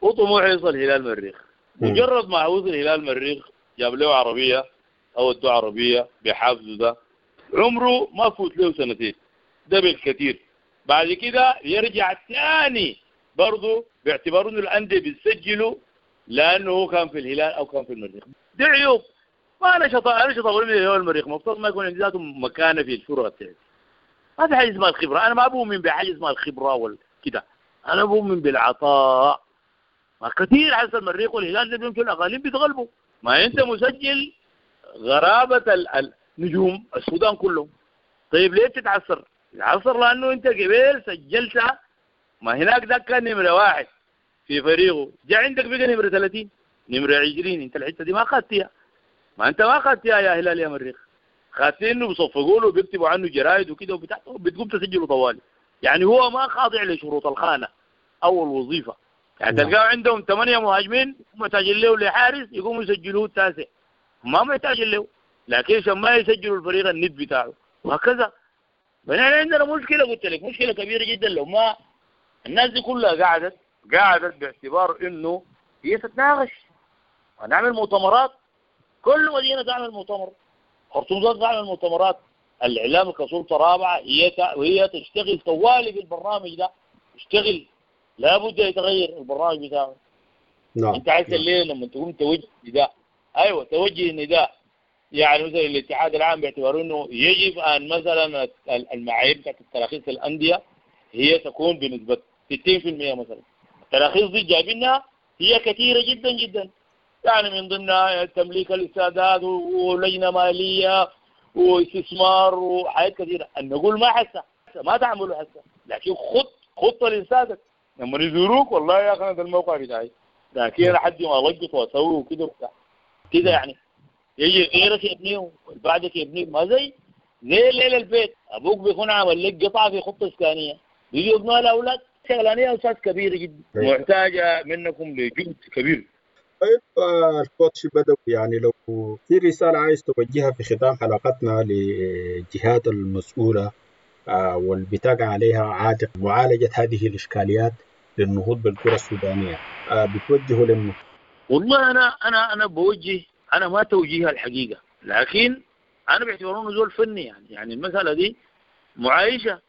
وطموحه يوصل هلال مريخ. مجرد ما وصل هلال مريخ جاب له عربية او ادوه عربية بحافزه ده، عمره ما فوت له سنتين ده بالكثير. بعد كده يرجع ثاني برضه باعتبار انه الاندية بتسجله لانه هو كان في الهلال او كان في المريخ. دي عيوب. ما انا شطار من الهلال والمريخ، المفترض ما يكون عندي ذاته مكانه في الفرق بتاعتي. ما في حاجة اسمها الخبرة، انا ما بؤمن بحاجة اسمها الخبرة والكده، انا بؤمن بالعطاء. ما كثير حس المريخ والهلال ده بيمشوا الاقاليم بيتغلبوا. ما انت مسجل غرابه النجوم السودان كلهم. طيب ليه تتعثر؟ تتعثر لانه انت قبل سجلت، ما هناك ده كان نمره 1 في فريقه، جاء عندك بقى نمره 30 نمره 20، انت الحتة دي ما اخذتيها. ما انت ما اخذتيها يا هلال يا مريخ، خاطين انه بيصفقوا له وبيكتبوا عنه جرايد وكده وبتاع، بتقوم تسجله طوالي. يعني هو ما خاضع لشروط الخانة او الوظيفة. يعني تلقاه عندهم 8 مهاجمين محتاجين له لحارس يقوموا يسجلوه التاسع، ما محتاجين له، لكن عشان ما يسجلوا الفريق الند بتاعه وهكذا. فنحن عندنا مشكلة، قلت لك مشكلة كبيرة جدا. لو ما الناس دي كلها قعدت باعتبار انه هي تتناقش ونعمل مؤتمرات، كل مدينة تعمل مؤتمر، خرطوم ذات تعمل مؤتمرات، الاعلام كسلطه رابعه وهي تشتغل طوالي في البرنامج ده، تشتغل، لابد يتغير البرنامج بتاعه. نعم. انت عايز الليلة لما تقوم توجه نداء، ايوه توجه نداء، يعني مثلا الاتحاد العام باعتبار انه يجب ان مثلا المعايير بتاعت التراخيص الاندية هي تكون بنسبة 60% مثلا. التراخيص دي جايبينها هي كثيرة جدا جدا، يعني من ضمنها تمليك الاستادات ولجنه ماليه واستثمار وحاجات كثيرة. نقول ما حسه ما تعملوا حسه، لكن خطه لاستادك لما يزوروك والله يا اخي انا ده الموقع بتاعي، لكن انا حد ما القط واسوي وكده وبتاع كده. يعني يجي غيرك يبنيه بعدك يبنيه، ما زي ليلة البيت ابوك بيكون عامل لك قطعه في خطه اسكانيه، بيجي يبنوها لاولاد. شغلانيه استاذ كبيرة جدا محتاجه منكم لجهد كبير. طيب الكوتش بدوي، يعني لو في رسالة عايز توجهها في ختام حلقتنا للجهات المسؤولة والبتاقع عليها عاتق معالجة هذه الإشكاليات للنهوض بالكرة السودانية، بتوجهه لمن؟ والله أنا بوجه، أنا ما توجيه الحقيقة، لكن أنا باعتبار إنه زول فني، يعني المسألة دي معايشة.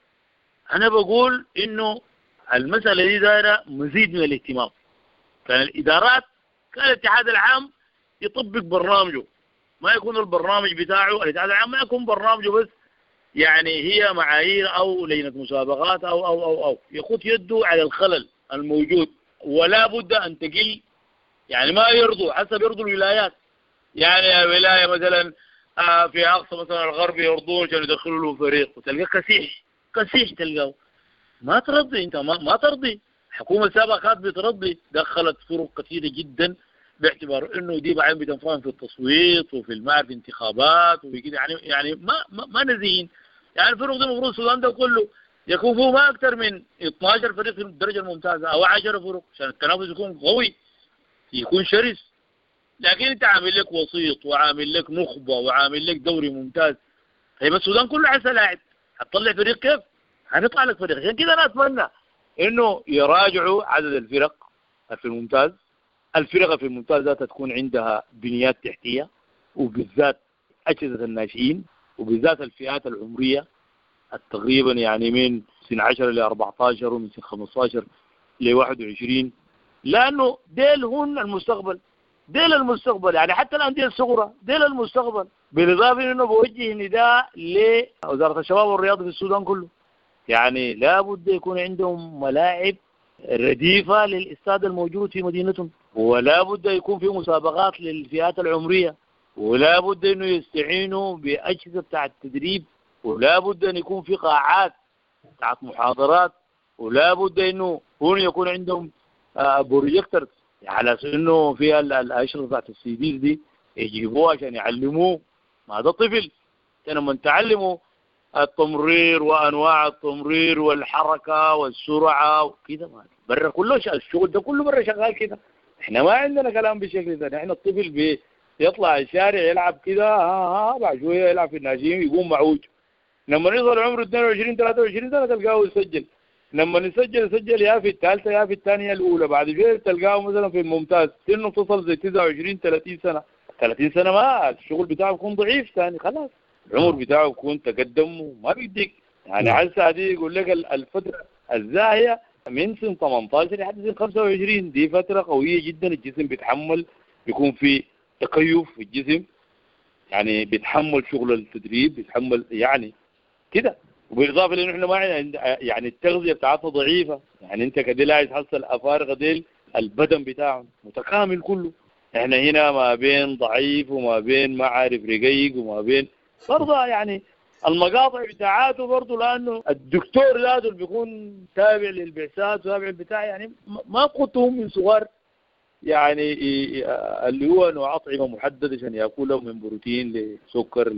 أنا بقول إنه المسألة دي دايرة مزيد من الاهتمام. كان الإدارات، كان الاتحاد العام يطبق برنامجه، ما يكون البرنامج بتاعه الاتحاد العام ما يكون برنامجه بس يعني هي معايير أو لجنة مسابقات أو أو أو أو يخط يده على الخلل الموجود، ولا بد أن تقل. يعني ما يرضوا حسب يرضوا الولايات، يعني ولاية مثلا في أقصى مثلا الغرب يرضون عشان يدخلوا له فريق، وتلقى كسيح كسيح تلقاه. ما ترضي أنت، ما ترضي. الحكومة السابقة كانت بترضي، دخلت فرق كثيرة جدا باعتبار انه دي بعدين بتنفهم في التصويت وفي المعرفة انتخابات وكده، يعني ما نزين. يعني الفرق دي المفروض السودان ده كله يكون فيه ما اكثر من 12 فريق في الدرجة الممتازة او 10 فرق عشان التنافس يكون قوي يكون شرس. لكن انت عامل لك وسيط وعامل لك نخبة وعامل لك دوري ممتاز. طيب السودان كله عايز لاعب، هتطلع فريق كيف؟ هنطلع لك فريق. عشان كده انا اتمنى انه يراجعوا عدد الفرق في الممتاز. الفرق في الممتاز ذاتها تكون عندها بنيات تحتية، وبالذات أجهزة الناشئين، وبالذات الفئات العمرية تقريبا يعني من سن 10 ل 14 ومن سن 15 ل 21، لأنه ديل هن المستقبل، ديل المستقبل. يعني حتى الأندية الصغرى ديل المستقبل. بالإضافة إنه بوجه نداء لوزارة الشباب والرياضة في السودان كله، يعني لابد يكون عندهم ملاعب رديفة للاستاد الموجود في مدينتهم، ولا بد يكون في مسابقات للفئات العمرية، ولا بد انه يستعينوا بأجهزة بتاع التدريب، ولا بد ان يكون في قاعات بتاعت محاضرات، ولا بد انه هون يكون عندهم بروجيكتور على انه فيها الاشرطة بتاعت السي دي دي يجيبوها عشان يعلموه. ما ده طفل لما تعلمه التمرير وانواع التمرير والحركة والسرعة وكده، برا كله الشغل ده كله برا شغال كده. احنا ما عندنا كلام بالشكل ده. احنا الطفل بيطلع الشارع يلعب كده، ها بعد شوية يلعب في الناشئين يقوم معوج. لما يصل عمره 22 23 سنة تلقاه يسجل. لما يسجل يا في الثالثة يا في الثانية الاولى، بعد شوية تلقاه مثلا في الممتاز سنة تصل زي 29 30 سنة. 30 سنة ما الشغل بتاعه بيكون ضعيف ثاني، خلاص العمر بتاعه بيكون تقدم وما بيديك. يعني على الساعة دي يقول لك الفترة الزاهيه من سن 18 لحد سن 25 دي فترة قوية جدا، الجسم بيتحمل، بيكون في تكيف في الجسم، يعني بيتحمل شغل التدريب، بيتحمل يعني كده. وبالاضافة لانه احنا ما يعني التغذية بتاعتنا ضعيفة، يعني انت كده لا تحصل افارقه ديل البدن بتاعهم متكامل كله، احنا هنا ما بين ضعيف وما بين ما عارف رقيق وما بين برضه يعني المقاطع بتاعاته برضه، لانه الدكتور ذاته اللي بيكون تابع للبعثات وتابع البتاع يعني ما قلتهم من صغار، يعني اللي هو نوع اطعمه محددة عشان ياكلها من بروتين لسكر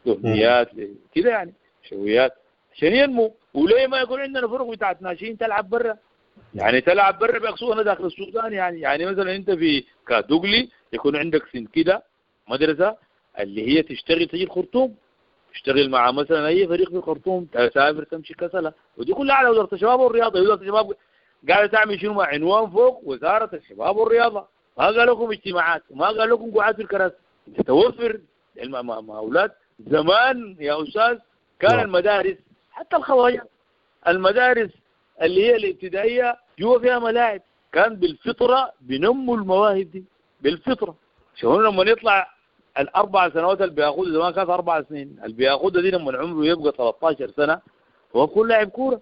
لدهنيات كده يعني شويات عشان ينمو. وليه ما يكون عندنا فرق بتاعت ناشئين تلعب برا؟ يعني تلعب برا بيقصونا داخل السودان، يعني مثلا انت في كادوغلي يكون عندك سن كده مدرسه اللي هي تشتغل تجي الخرطوم، تشتغل مع مثلا اي فريق في الخرطوم، تسافر تمشي كسله، ودي كلها على وزارة الشباب والرياضة. وزارة الشباب قاعدة تعمل شنو؟ مع عنوان فوق وزارة الشباب والرياضة، ما قال لكم اجتماعات وما قال لكم قعاد في الكراسي. توفر مع اولاد زمان يا استاذ كان المدارس حتى الخواجات المدارس اللي هي الابتدائية جوا فيها ملاعب، كان بالفطرة بنموا المواهب دي بالفطرة. شو لما نطلع ال4 سنوات اللي بياخذها زمان كانت 4 سنين، اللي بياخذها دي لما عمره يبقى 13 سنة هو بيكون لاعب كورة،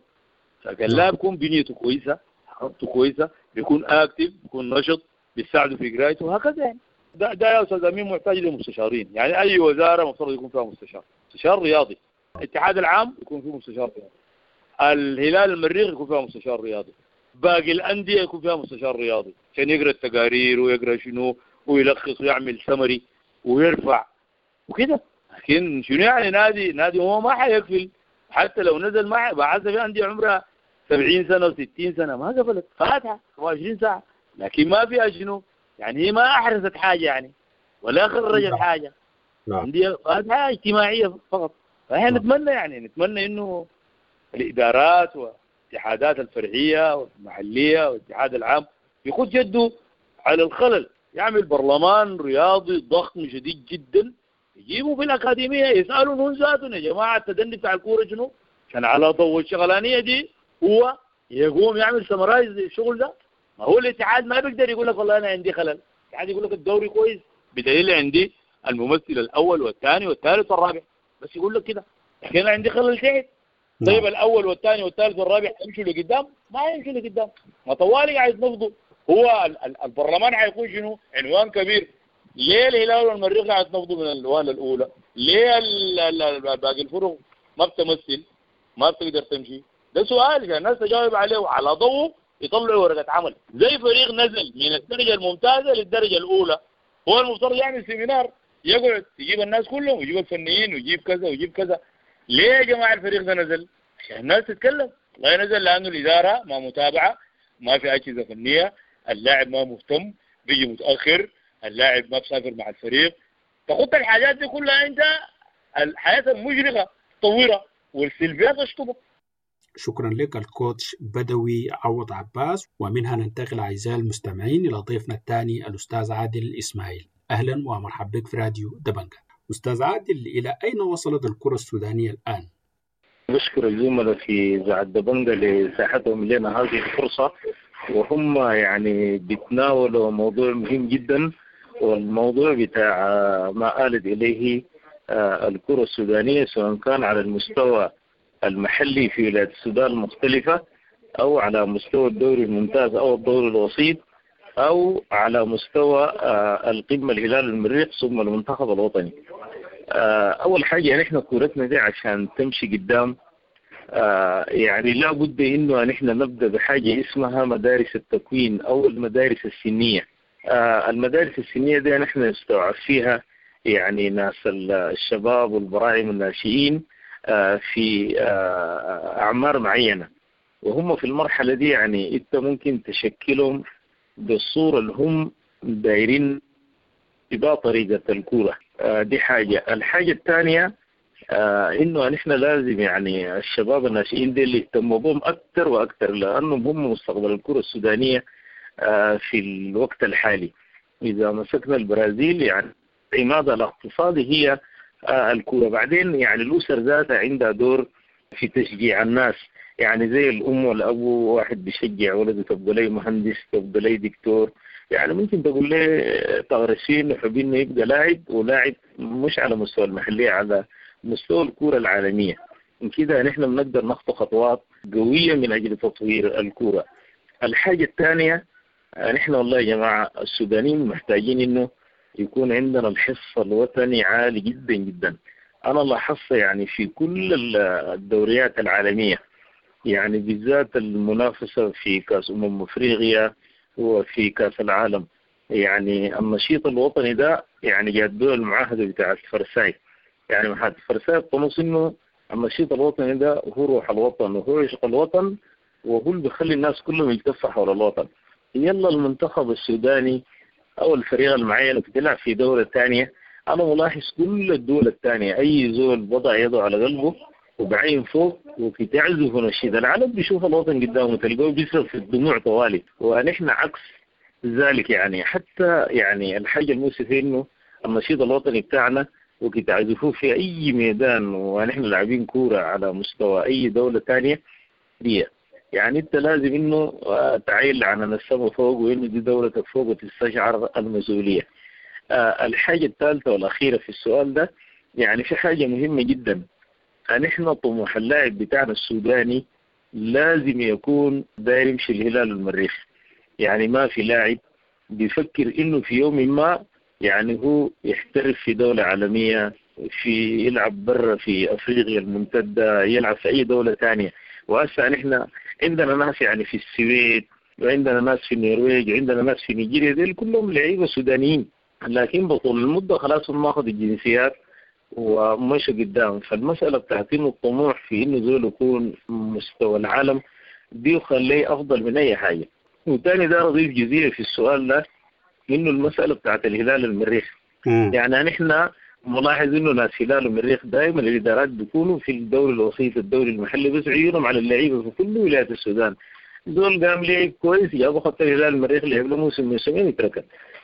فكان لاعب بيكون بنيته كويسة، حركته كويسة، بيكون active، بيكون نشط، بيساعده في قرايته وهكذا. يعني ده يا استاذ امين محتاج لمستشارين، يعني اي وزارة المفترض يكون فيها مستشار رياضي، الاتحاد العام يكون فيه مستشار رياضي، الهلال المريخ يكون فيها مستشار رياضي، باقي الاندية يكون فيها مستشار رياضي عشان يقرا التقارير ويقرا شنو ويلخص ويعمل سمري ويرفع وكده. لكن شنو يعني نادي هو ما حيقفل حتى لو نزل، ما بعد في اندية عمرها 70 سنة و60 سنة ما قفلت، فاتحة 24 ساعة، لكن ما فيها شنو يعني، هي ما احرزت حاجة يعني ولا خرجت حاجة، اندية فاتحة اجتماعية فقط. فاحنا نتمنى يعني نتمنى انه الادارات والاتحادات الفرعية والمحليه والاتحاد العام يخد جده على الخلل، يعمل برلمان رياضي ضخم شديد جدا، يجيبوا في الاكاديمية يسالوا هم ذاتهم يا جماعة التدني بتاع الكورة شنو؟ عشان على ضوء الشغلانيه دي هو يقوم يعمل summarize للشغل ده. ما هو الاتحاد ما بيقدر يقول لك والله انا عندي خلل، الاتحاد يقول لك الدوري كويس بدليل عندي الممثل الاول والثاني والثالث والرابع، بس يقول لك كده، لكن انا عندي خلل تحت. طيب الاول والثاني والثالث والرابع يمشوا لقدام؟ ما يمشوا لقدام، ما طوالي قاعد يتنفضوا. هو البرلمان حيكون شنو؟ عنوان كبير. ليه الهلال والمريخ قاعد يتنفضوا من الوهله الاولى؟ ليه باقي الفرق ما بتمثل؟ ما بتقدر تمشي؟ ده سؤال عشان الناس تجاوب عليه وعلى ضوء يطلعوا ورقة عمل. زي فريق نزل من الدرجة الممتازة للدرجة الاولى، هو المفترض يعمل seminar، يقعد يجيب الناس كلهم ويجيب الفنيين ويجيب كذا ويجيب كذا. ليه يا جماعة الفريق ده نزل؟ عشان الناس تتكلم. والله نزل لانه الادارة ما متابعه، ما في اجهزة فنية، اللاعب ما مهتم، بيجي متاخر، اللاعب ما بسافر مع الفريق. تخط الحاجات دي كلها انت الحياة المشرقة تطورها والسلبيات تشطبها. شكرا لك الكوتش بدوي عوض عباس. ومنها ننتقل اعزائي المستمعين الى ضيفنا الثاني الاستاذ عادل اسماعيل. اهلا ومرحبا بك في راديو دبنجة. استاذ عادل، الى اين وصلت الكره السودانية الان؟ بشكر الزملاء في إذاعة دبنجة لساحتهم لنا هذه الفرصة، وهم يعني بيتناولوا موضوع مهم جدا، والموضوع بتاع ما آلت إليه الكرة السودانية سواء كان على المستوى المحلي في ولايات السودان المختلفة أو على مستوى الدوري الممتاز أو الدوري الوسيط أو على مستوى القمة الهلال المريخ ثم المنتخب الوطني. أول حاجة نحن كورتنا دي عشان تمشي قدام يعني لا بد إنه نحن نبدأ بحاجة اسمها مدارس التكوين أو المدارس السنية. المدارس السنية دي نحن نستوعب فيها يعني ناس الشباب والبراعم الناشئين في أعمار معينة، وهم في المرحلة دي يعني أنت ممكن تشكلهم بالصورة اللي هم دايرين بها طريقة الكورة. دي حاجة. الحاجة الثانية إنه نحن لازم يعني الشباب الناشئين دي اللي يهتموا بهم أكثر وأكثر، لأنهم هم مستقبل الكرة السودانية في الوقت الحالي. إذا مسكنا البرازيل يعني عمادها الاقتصادي هي الكرة. بعدين يعني الأسر ذاتها عندها دور في تشجيع الناس، يعني زي الأم والأبو، واحد بيشجع ولده تبقى لي مهندس، تبقى لي دكتور، يعني ممكن تقول لي تغرسين وحبين إنه يبقى لاعب، ولاعب مش على مستوى المحلية، على مستوى الكرة العالمية. كده نحن بنقدر نخطو خطوات قوية من أجل تطوير الكرة. الحاجة الثانية، نحن والله يا جماعة السودانيين محتاجين إنه يكون عندنا الحس الوطني عالي جدا جدا. أنا لاحظت يعني في كل الدوريات العالمية، يعني بالذات المنافسة في كأس أفريقيا وفي كأس العالم، يعني النشيط الوطني ده يعني جات دول المعاهدة بتاعت فرساي، يعني معاهدة فرساي تنص إنه النشيط الوطني ده هو روح الوطن وهو عشق الوطن وهو اللي بيخلي الناس كلهم يلتفوا حول الوطن. يلا المنتخب السوداني أو الفريق المعين اللي بتلعب في دولة ثانية، أنا ملاحظ كل الدول الثانية أي زول وضع يده على قلبه وبعين فوق وبتعزف نشيد العالم بيشوف الوطن قدامه تلقاه بيصرف في الدموع طوالي، ونحن عكس ذلك. يعني حتى يعني الحاجة المؤسفة إنه النشيد الوطني بتاعنا وكتعزفوه في أي ميدان ونحن لاعبين كورة على مستوى أي دولة ثانية دي، يعني أنت لازم إنه تعيل عن السما فوق وإنه دي دولتك فوق وتستشعر المسؤولية. الحاجة الثالثة والأخيرة في السؤال ده، يعني في حاجة مهمة جدا، نحن طموح اللاعب بتاعنا السوداني لازم يكون داير يمشي الهلال المريخ. يعني ما في لاعب بيفكر إنه في يوم ما يعني هو يحترف في دولة عالمية، في يلعب برا في أفريقيا الممتدة، يلعب في أي دولة ثانية. وهسه نحن عندنا ناس يعني في السويد، وعندنا ناس في النرويج، وعندنا ناس في نيجيريا، ديل كلهم لعيبة سودانيين، لكن بطول المدة خلاص هم أخذوا الجنسيات ومشوا قدام. فالمسألة بتاعت إنه الطموح في إنه زول يكون مستوى العالم دي يخليه أفضل من أي حاجة. وتاني ده أضيف جزئية في السؤال ده، إنه المسألة بتاعت الهلال المريخ. يعني نحن ملاحظ إنه ناس هلال المريخ دائما الإدارات بيكونوا في الدوري الوسيط الدوري المحلي بس عيونهم على اللعيبة في كل ولايات السودان. زول قام لعب كويس جابوا خط الهلال المريخ لعب له موسم موسمين يتركن.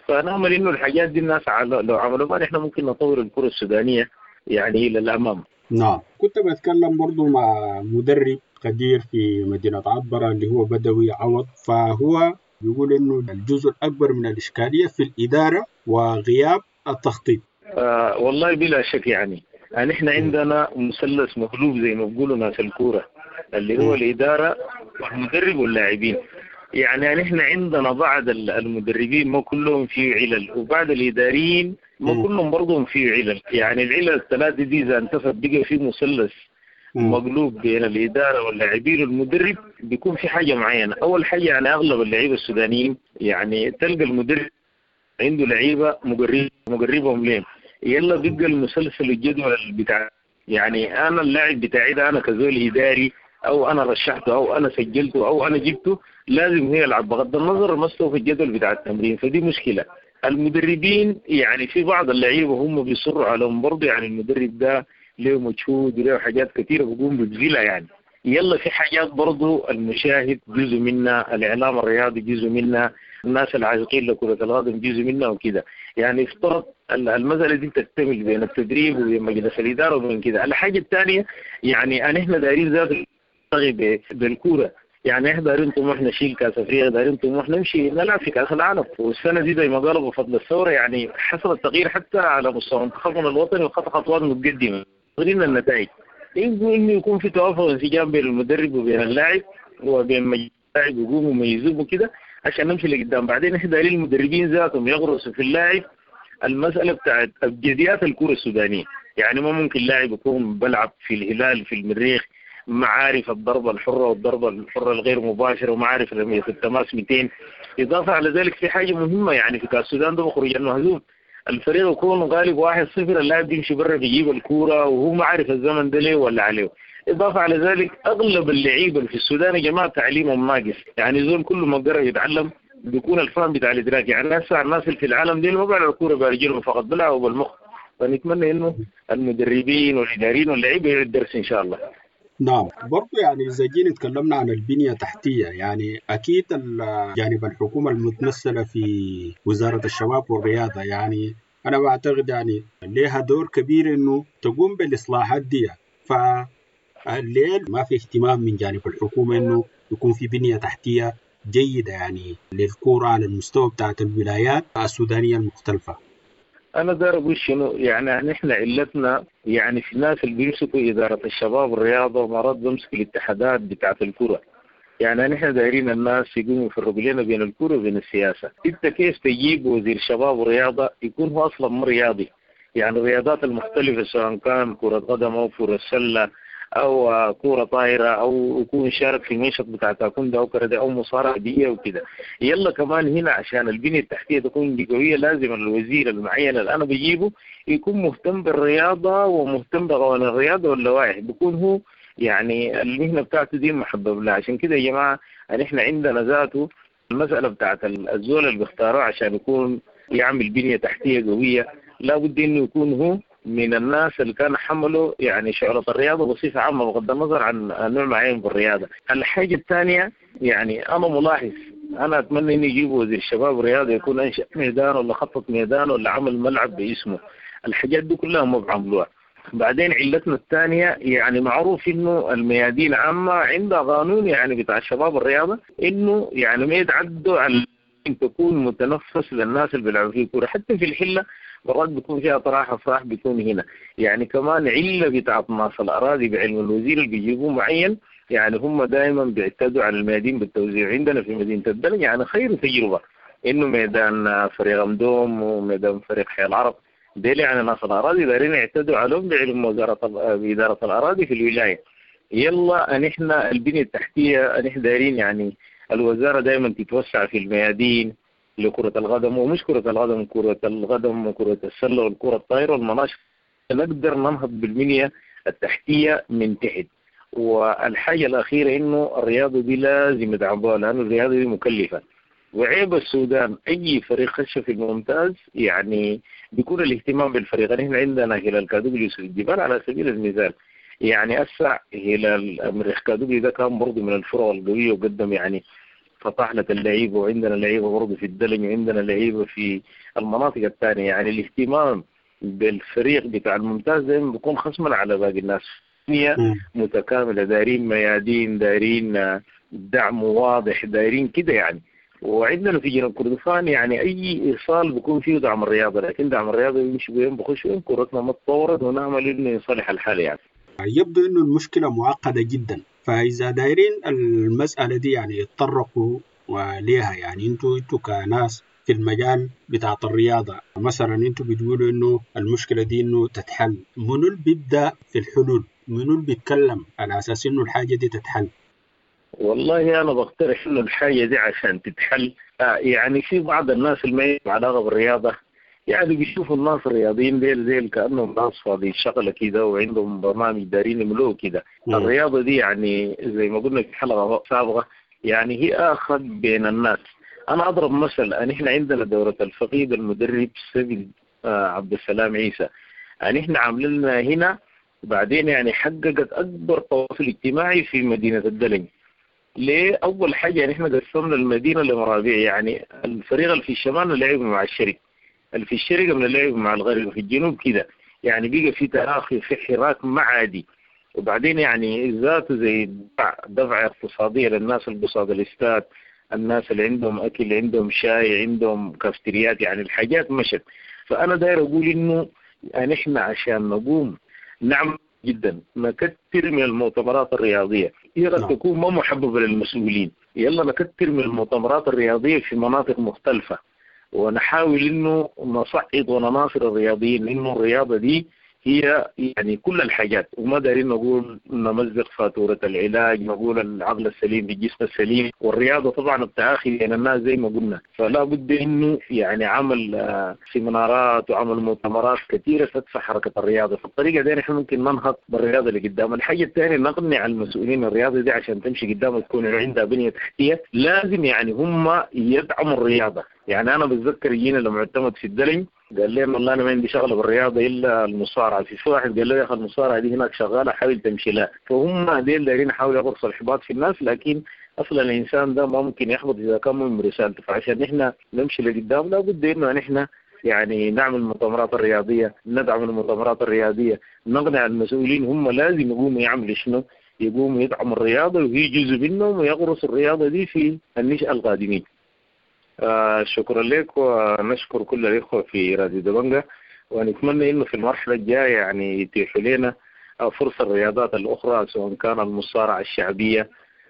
فنأمل إنه الحاجات دي الناس لو عملوا ما نحن ممكن نطور الكرة السودانية يعني إلى الأمام. نعم، كنت بتكلم برضو مع مدرب قدير في مدينة عبرة اللي هو بدوي عوض، فهو بيقول إنه الجزء الأكبر من الإشكالية في الإدارة وغياب التخطيط. والله بلا شك، يعني نحن عندنا مثلث مقلوب زي ما بيقولوا ناس الكورة، اللي هو الإدارة والمدرب واللاعبين. يعني نحن عندنا بعض المدربين ما كلهم فيه علل، وبعض الإداريين ما كلهم برضهم فيه علل. يعني العلل الثلاثة دي إذا انتفت بقى في مثلث مقلوب بين الإدارة واللاعبين والمدرب، بيكون في حاجة معينة. أول حاجة يعني أغلب اللعيبة السودانيين يعني تلقى المدرب عنده لعيبة مقربهم ليه، يلا بيبقى المسلسل الجدول بتاع، يعني أنا اللاعب بتاعي ده أنا كزول إداري أو أنا رشحته أو أنا سجلته أو أنا جبته لازم هو يلعب بغض النظر مستوى في الجدول بتاع التمرين. فدي مشكلة. المدربين يعني في بعض اللعيبة هم بيصروا عليهم برضه، يعني المدرب ده له مجهود وله حاجات كثيرة بيقوم بيبذلها. يعني يلا في حاجات برضه المشاهد جزء منها، الإعلام الرياضي جزء منها، الناس العاشقين لكرة القدم جزء منها وكده. يعني افترض المسألة دي تكتمل بين التدريب وبين مجلس الإدارة وبين كده. الحاجة الثانية يعني احنا دايرين ذات بالكورة، يعني احنا دايرين طموحنا نشيل كاس افريقيا، دايرين طموحنا نمشي نلعب في كاس العالم. والسنة دي زي ما قالوا بفضل الثورة يعني حصل التغيير حتى على مستوى منتخبنا الوطني وخط خطوات متقدمة. غيرنا النتائج انه يكون في توافق وانسجام بين المدرب وبين اللاعب وبين اللاعب يقوموا ويميزوه وكده عشان نمشي لقدام. بعدين احنا دايرين المدربين ذاتهم يغرسوا في اللاعب المسألة بتاعت أبجديات الكرة السودانية. يعني ما ممكن لاعب يكون بلعب في الهلال في المريخ معارف الضربة الحرة والضربة الحرة الغير مباشرة ومعارف رمية التماس 200. إضافة على ذلك في حاجة مهمة يعني في كأس السودان ده بخرج المهزوم، الفريق يكون غالب 1-0، اللاعب بيمشي برا بيجيب الكورة وهو ما عارف الزمن ده ليه ولا عليه. إضافة على ذلك أغلب اللعيبة في السودان يا جماعة تعليمهم ناقص، يعني زول كل ما قرأ يتعلم بيكون الفهم بتاع الادراك. يعني هسه الناس اللي في العالم دي ما بيلعبوا الكورة برجلهم فقط، بيلعبوا بالمخ. فنتمنى انه المدربين والاداريين واللعيبة يعيدوا الدرس ان شاء الله. نعم، برضو يعني إذا جينا تكلمنا عن البنية التحتية، يعني أكيد جانب الحكومة المتمثلة في وزارة الشباب والرياضة، يعني أنا بعتقد يعني لها دور كبير إنه تقوم بالإصلاحات دي. فليه ما في اهتمام من جانب الحكومة إنه يكون في بنية تحتية جيدة يعني للكورة على المستوى بتاعت الولايات السودانية المختلفة؟ أنا داير أقول شنو، يعني نحن علتنا يعني في الناس اللي بيمسكوا إدارة الشباب والرياضة ومرات بيمسكوا الاتحادات بتاعت الكرة. يعني نحن دايرين الناس يقوموا يفرقوا لنا بين الكرة وبين السياسة. أنت كيف تجيب وزير شباب ورياضة يكون هو أصلا مو رياضي؟ يعني الرياضات المختلفة سواء كان كرة قدم أو كرة سلة أو كرة طايرة أو يكون شارك في منشط بتاع تاكوندو أو كرة أو مصارعة بيئية وكده. يلا كمان هنا عشان البنية التحتية تكون قوية لازم الوزير المعين اللي أنا بجيبه يكون مهتم بالرياضة ومهتم بقوانين الرياضة واللوائح، بيكون هو يعني المهنة بتاعته دي محبب لها. عشان كده يا جماعة نحن عندنا ذاته المسألة بتاعت الزول اللي بيختاروه عشان يكون يعمل بنية تحتية قوية لابد إنه يكون هو من الناس اللي كان حملوا يعني شعرة الرياضة بصفة عامة بغض النظر عن نوع معين بالرياضة. الحاجة الثانية يعني أنا ملاحظ، أنا أتمنى إنه يجيبوا وزير الشباب والرياضة يكون أنشأ ميدان ولا خطط ميدان ولا عمل ملعب باسمه. الحاجات دي كلها ما بعملوها. بعدين علتنا الثانية يعني معروف إنه الميادين عامة عندها قانون يعني بتاع الشباب الرياضة إنه يعني ما يتعدوا على تكون متنفس للناس اللي بيلعبوا فيه كورة. حتى في الحلة مرات بيكون فيها طراحة صح بيكون هنا. يعني كمان علة بتاعت ناس الأراضي بعلم الوزير اللي بيجيبوه معين، يعني هم دائما بيعتدوا على الميادين بالتوزيع. عندنا في مدينة الدلنج يعني خير تجربة إنه ميدان فريق أمدوم وميدان فريق حي العرب ديل يعني ناس الأراضي دارين يعتدوا عليهم بعلم وزارة إدارة الأراضي في الولاية. يلا نحن البنية التحتية نحن دارين يعني الوزارة دائما تتوسع في الميادين لكرة القدم، ومش كرة القدم، كرة القدم وكرة السلة والكرة الطائرة والمناشط، نقدر ننهض بالبنية التحتية من تحت. والحاجة الأخيرة إنه الرياضة دي لازم يدعموها لأنه الرياضة دي مكلفة. وعيب السودان أي فريق خش في الممتاز يعني بيكون الاهتمام بالفريق. نحن عندنا هلال كادوقلي يوسف الجبال على سبيل المثال، يعني أسع هلال مريخ كادوقلي ده كان برضه من الفرق القوية وقدم يعني فطحلة اللعيبة، وعندنا لعيبة برضه في الدلنج وعندنا لعيبة في المناطق الثانية. يعني الاهتمام بالفريق بتاع الممتاز دايما بيكون خصما على باقي الناس. متكاملة، دايرين ميادين، دايرين دعم واضح، دايرين كده يعني. وعندنا في جنوب كردفان يعني أي إيصال بيكون فيه دعم الرياضة، لكن دعم الرياضة بيمشي وين بخش وين كورتنا ما تطورت ونعمل إنه يصلح الحال. يعني يبدو إنه المشكلة معقدة جدا، فإذا دايرين المسألة دي يعني يتطرقوا وليها. يعني انتوا كناس في المجال بتاع الرياضة مثلا، انتوا بتقولوا إنه المشكلة دي إنه تتحل، منو اللي بيبدأ في الحلول؟ منو اللي بيتكلم على أساس إنه الحاجة دي تتحل؟ والله أنا بقترح إنه الحاجة دي عشان تتحل يعني في بعض الناس اللي ما لهم علاقة بالرياضة يعني بيشوفوا الناس الرياضيين ديل زي كأنهم ناس فاضيين شغلة كده وعندهم برنامج دارين يملوه كده. الرياضة دي يعني زي ما قلنا في حلقة سابقة يعني هي أخذ بين الناس. أنا أضرب مثل، نحن عندنا دورة الفقيد المدرب سبيل عبد السلام عيسى، يعني نحن عاملين هنا بعدين يعني حققت أكبر تواصل اجتماعي في مدينة الدلنج. ليه؟ أول حاجة يعني نحن قسمنا المدينة لمرابع، يعني الفريق اللي في الشمال لعب مع الشرق، اللي في الشرق من اللعب مع الغرب، وفي الجنوب كده، يعني بقى في تراخي في حراك ما عادي. وبعدين يعني ذاته زي دفع اقتصادية للناس اللي قصاد الاستاد، الناس اللي عندهم أكل، عندهم شاي، عندهم كافتريات، يعني الحاجات مشت. فأنا داير أقول إنه نحن عشان نقوم نعمل جدا نكتر من المؤتمرات الرياضية، هي قد تكون ما محببة للمسؤولين، يلا نكتر من المؤتمرات الرياضية في مناطق مختلفة، ونحاول إنه نصعد ونناصر الرياضيين، إنه الرياضة دي هي يعني كل الحاجات، وما دارين نقول نمزق فاتورة العلاج، نقول العقل السليم بالجسم السليم، والرياضة طبعا التآخي بين الناس زي ما قلنا، فلا بد انه يعني عمل سيمينارات وعمل مؤتمرات كثيرة تدفع حركة الرياضة. فالطريقة دي نحن ممكن ننهض بالرياضة اللي قدام. الحاجة الثانية نقنع المسؤولين الرياضة دي عشان تمشي قدام وتكون عندها بنية تحتية، لازم يعني هم يدعموا الرياضة. يعني انا بتذكر جينا لمعتمد في الدلنج قال لي والله انا ما عندي شغله بالرياضه الا المصارعه، في واحد قال له يا اخي المصارعه دي هناك شغاله حاول تمشي لها. فهم ديل دايرين يحاولوا يغرسوا الاحباط في الناس، لكن اصلا الانسان ده ما ممكن يحبط اذا كان مؤمن برسالته. فعشان نحن نمشي لقدام لابد انه نحن يعني نعمل المؤتمرات الرياضيه، ندعم المؤتمرات الرياضيه، نقنع المسؤولين هم لازم يقوموا يعملوا شنو؟ يقوموا يدعموا الرياضه وهي جزء منهم ويغرسوا الرياضه دي في النشأة القادمين. شكرا لك، ونشكر كل الإخوة في راديو دبنجة، ونتمنى إنه في المرحلة الجاية يعني يتيحوا لنا فرصة الرياضات الأخرى، سواء كان المصارعة الشعبية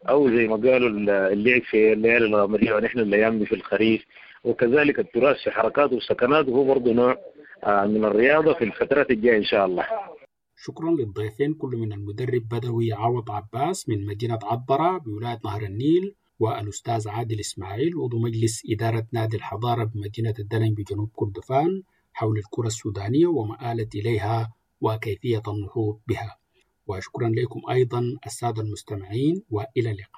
أو زي ما قالوا اللعب في الليالي الغمرية ونحن الأيام دي في الخريف، وكذلك التراث في حركاته وسكناته هو برضه نوع من الرياضة في الفترات الجاية إن شاء الله. شكرا للضيفين كل من المدرب بدوي عوض عباس من مدينة عطبرة بولاية نهر النيل، والأستاذ عادل إسماعيل عضو مجلس إدارة نادي الحضارة بمدينة الدلنج بجنوب كردفان حول الكرة السودانية وما آلت إليها وكيفية النهوض بها. وشكرا لكم أيضا السادة المستمعين، وإلى اللقاء.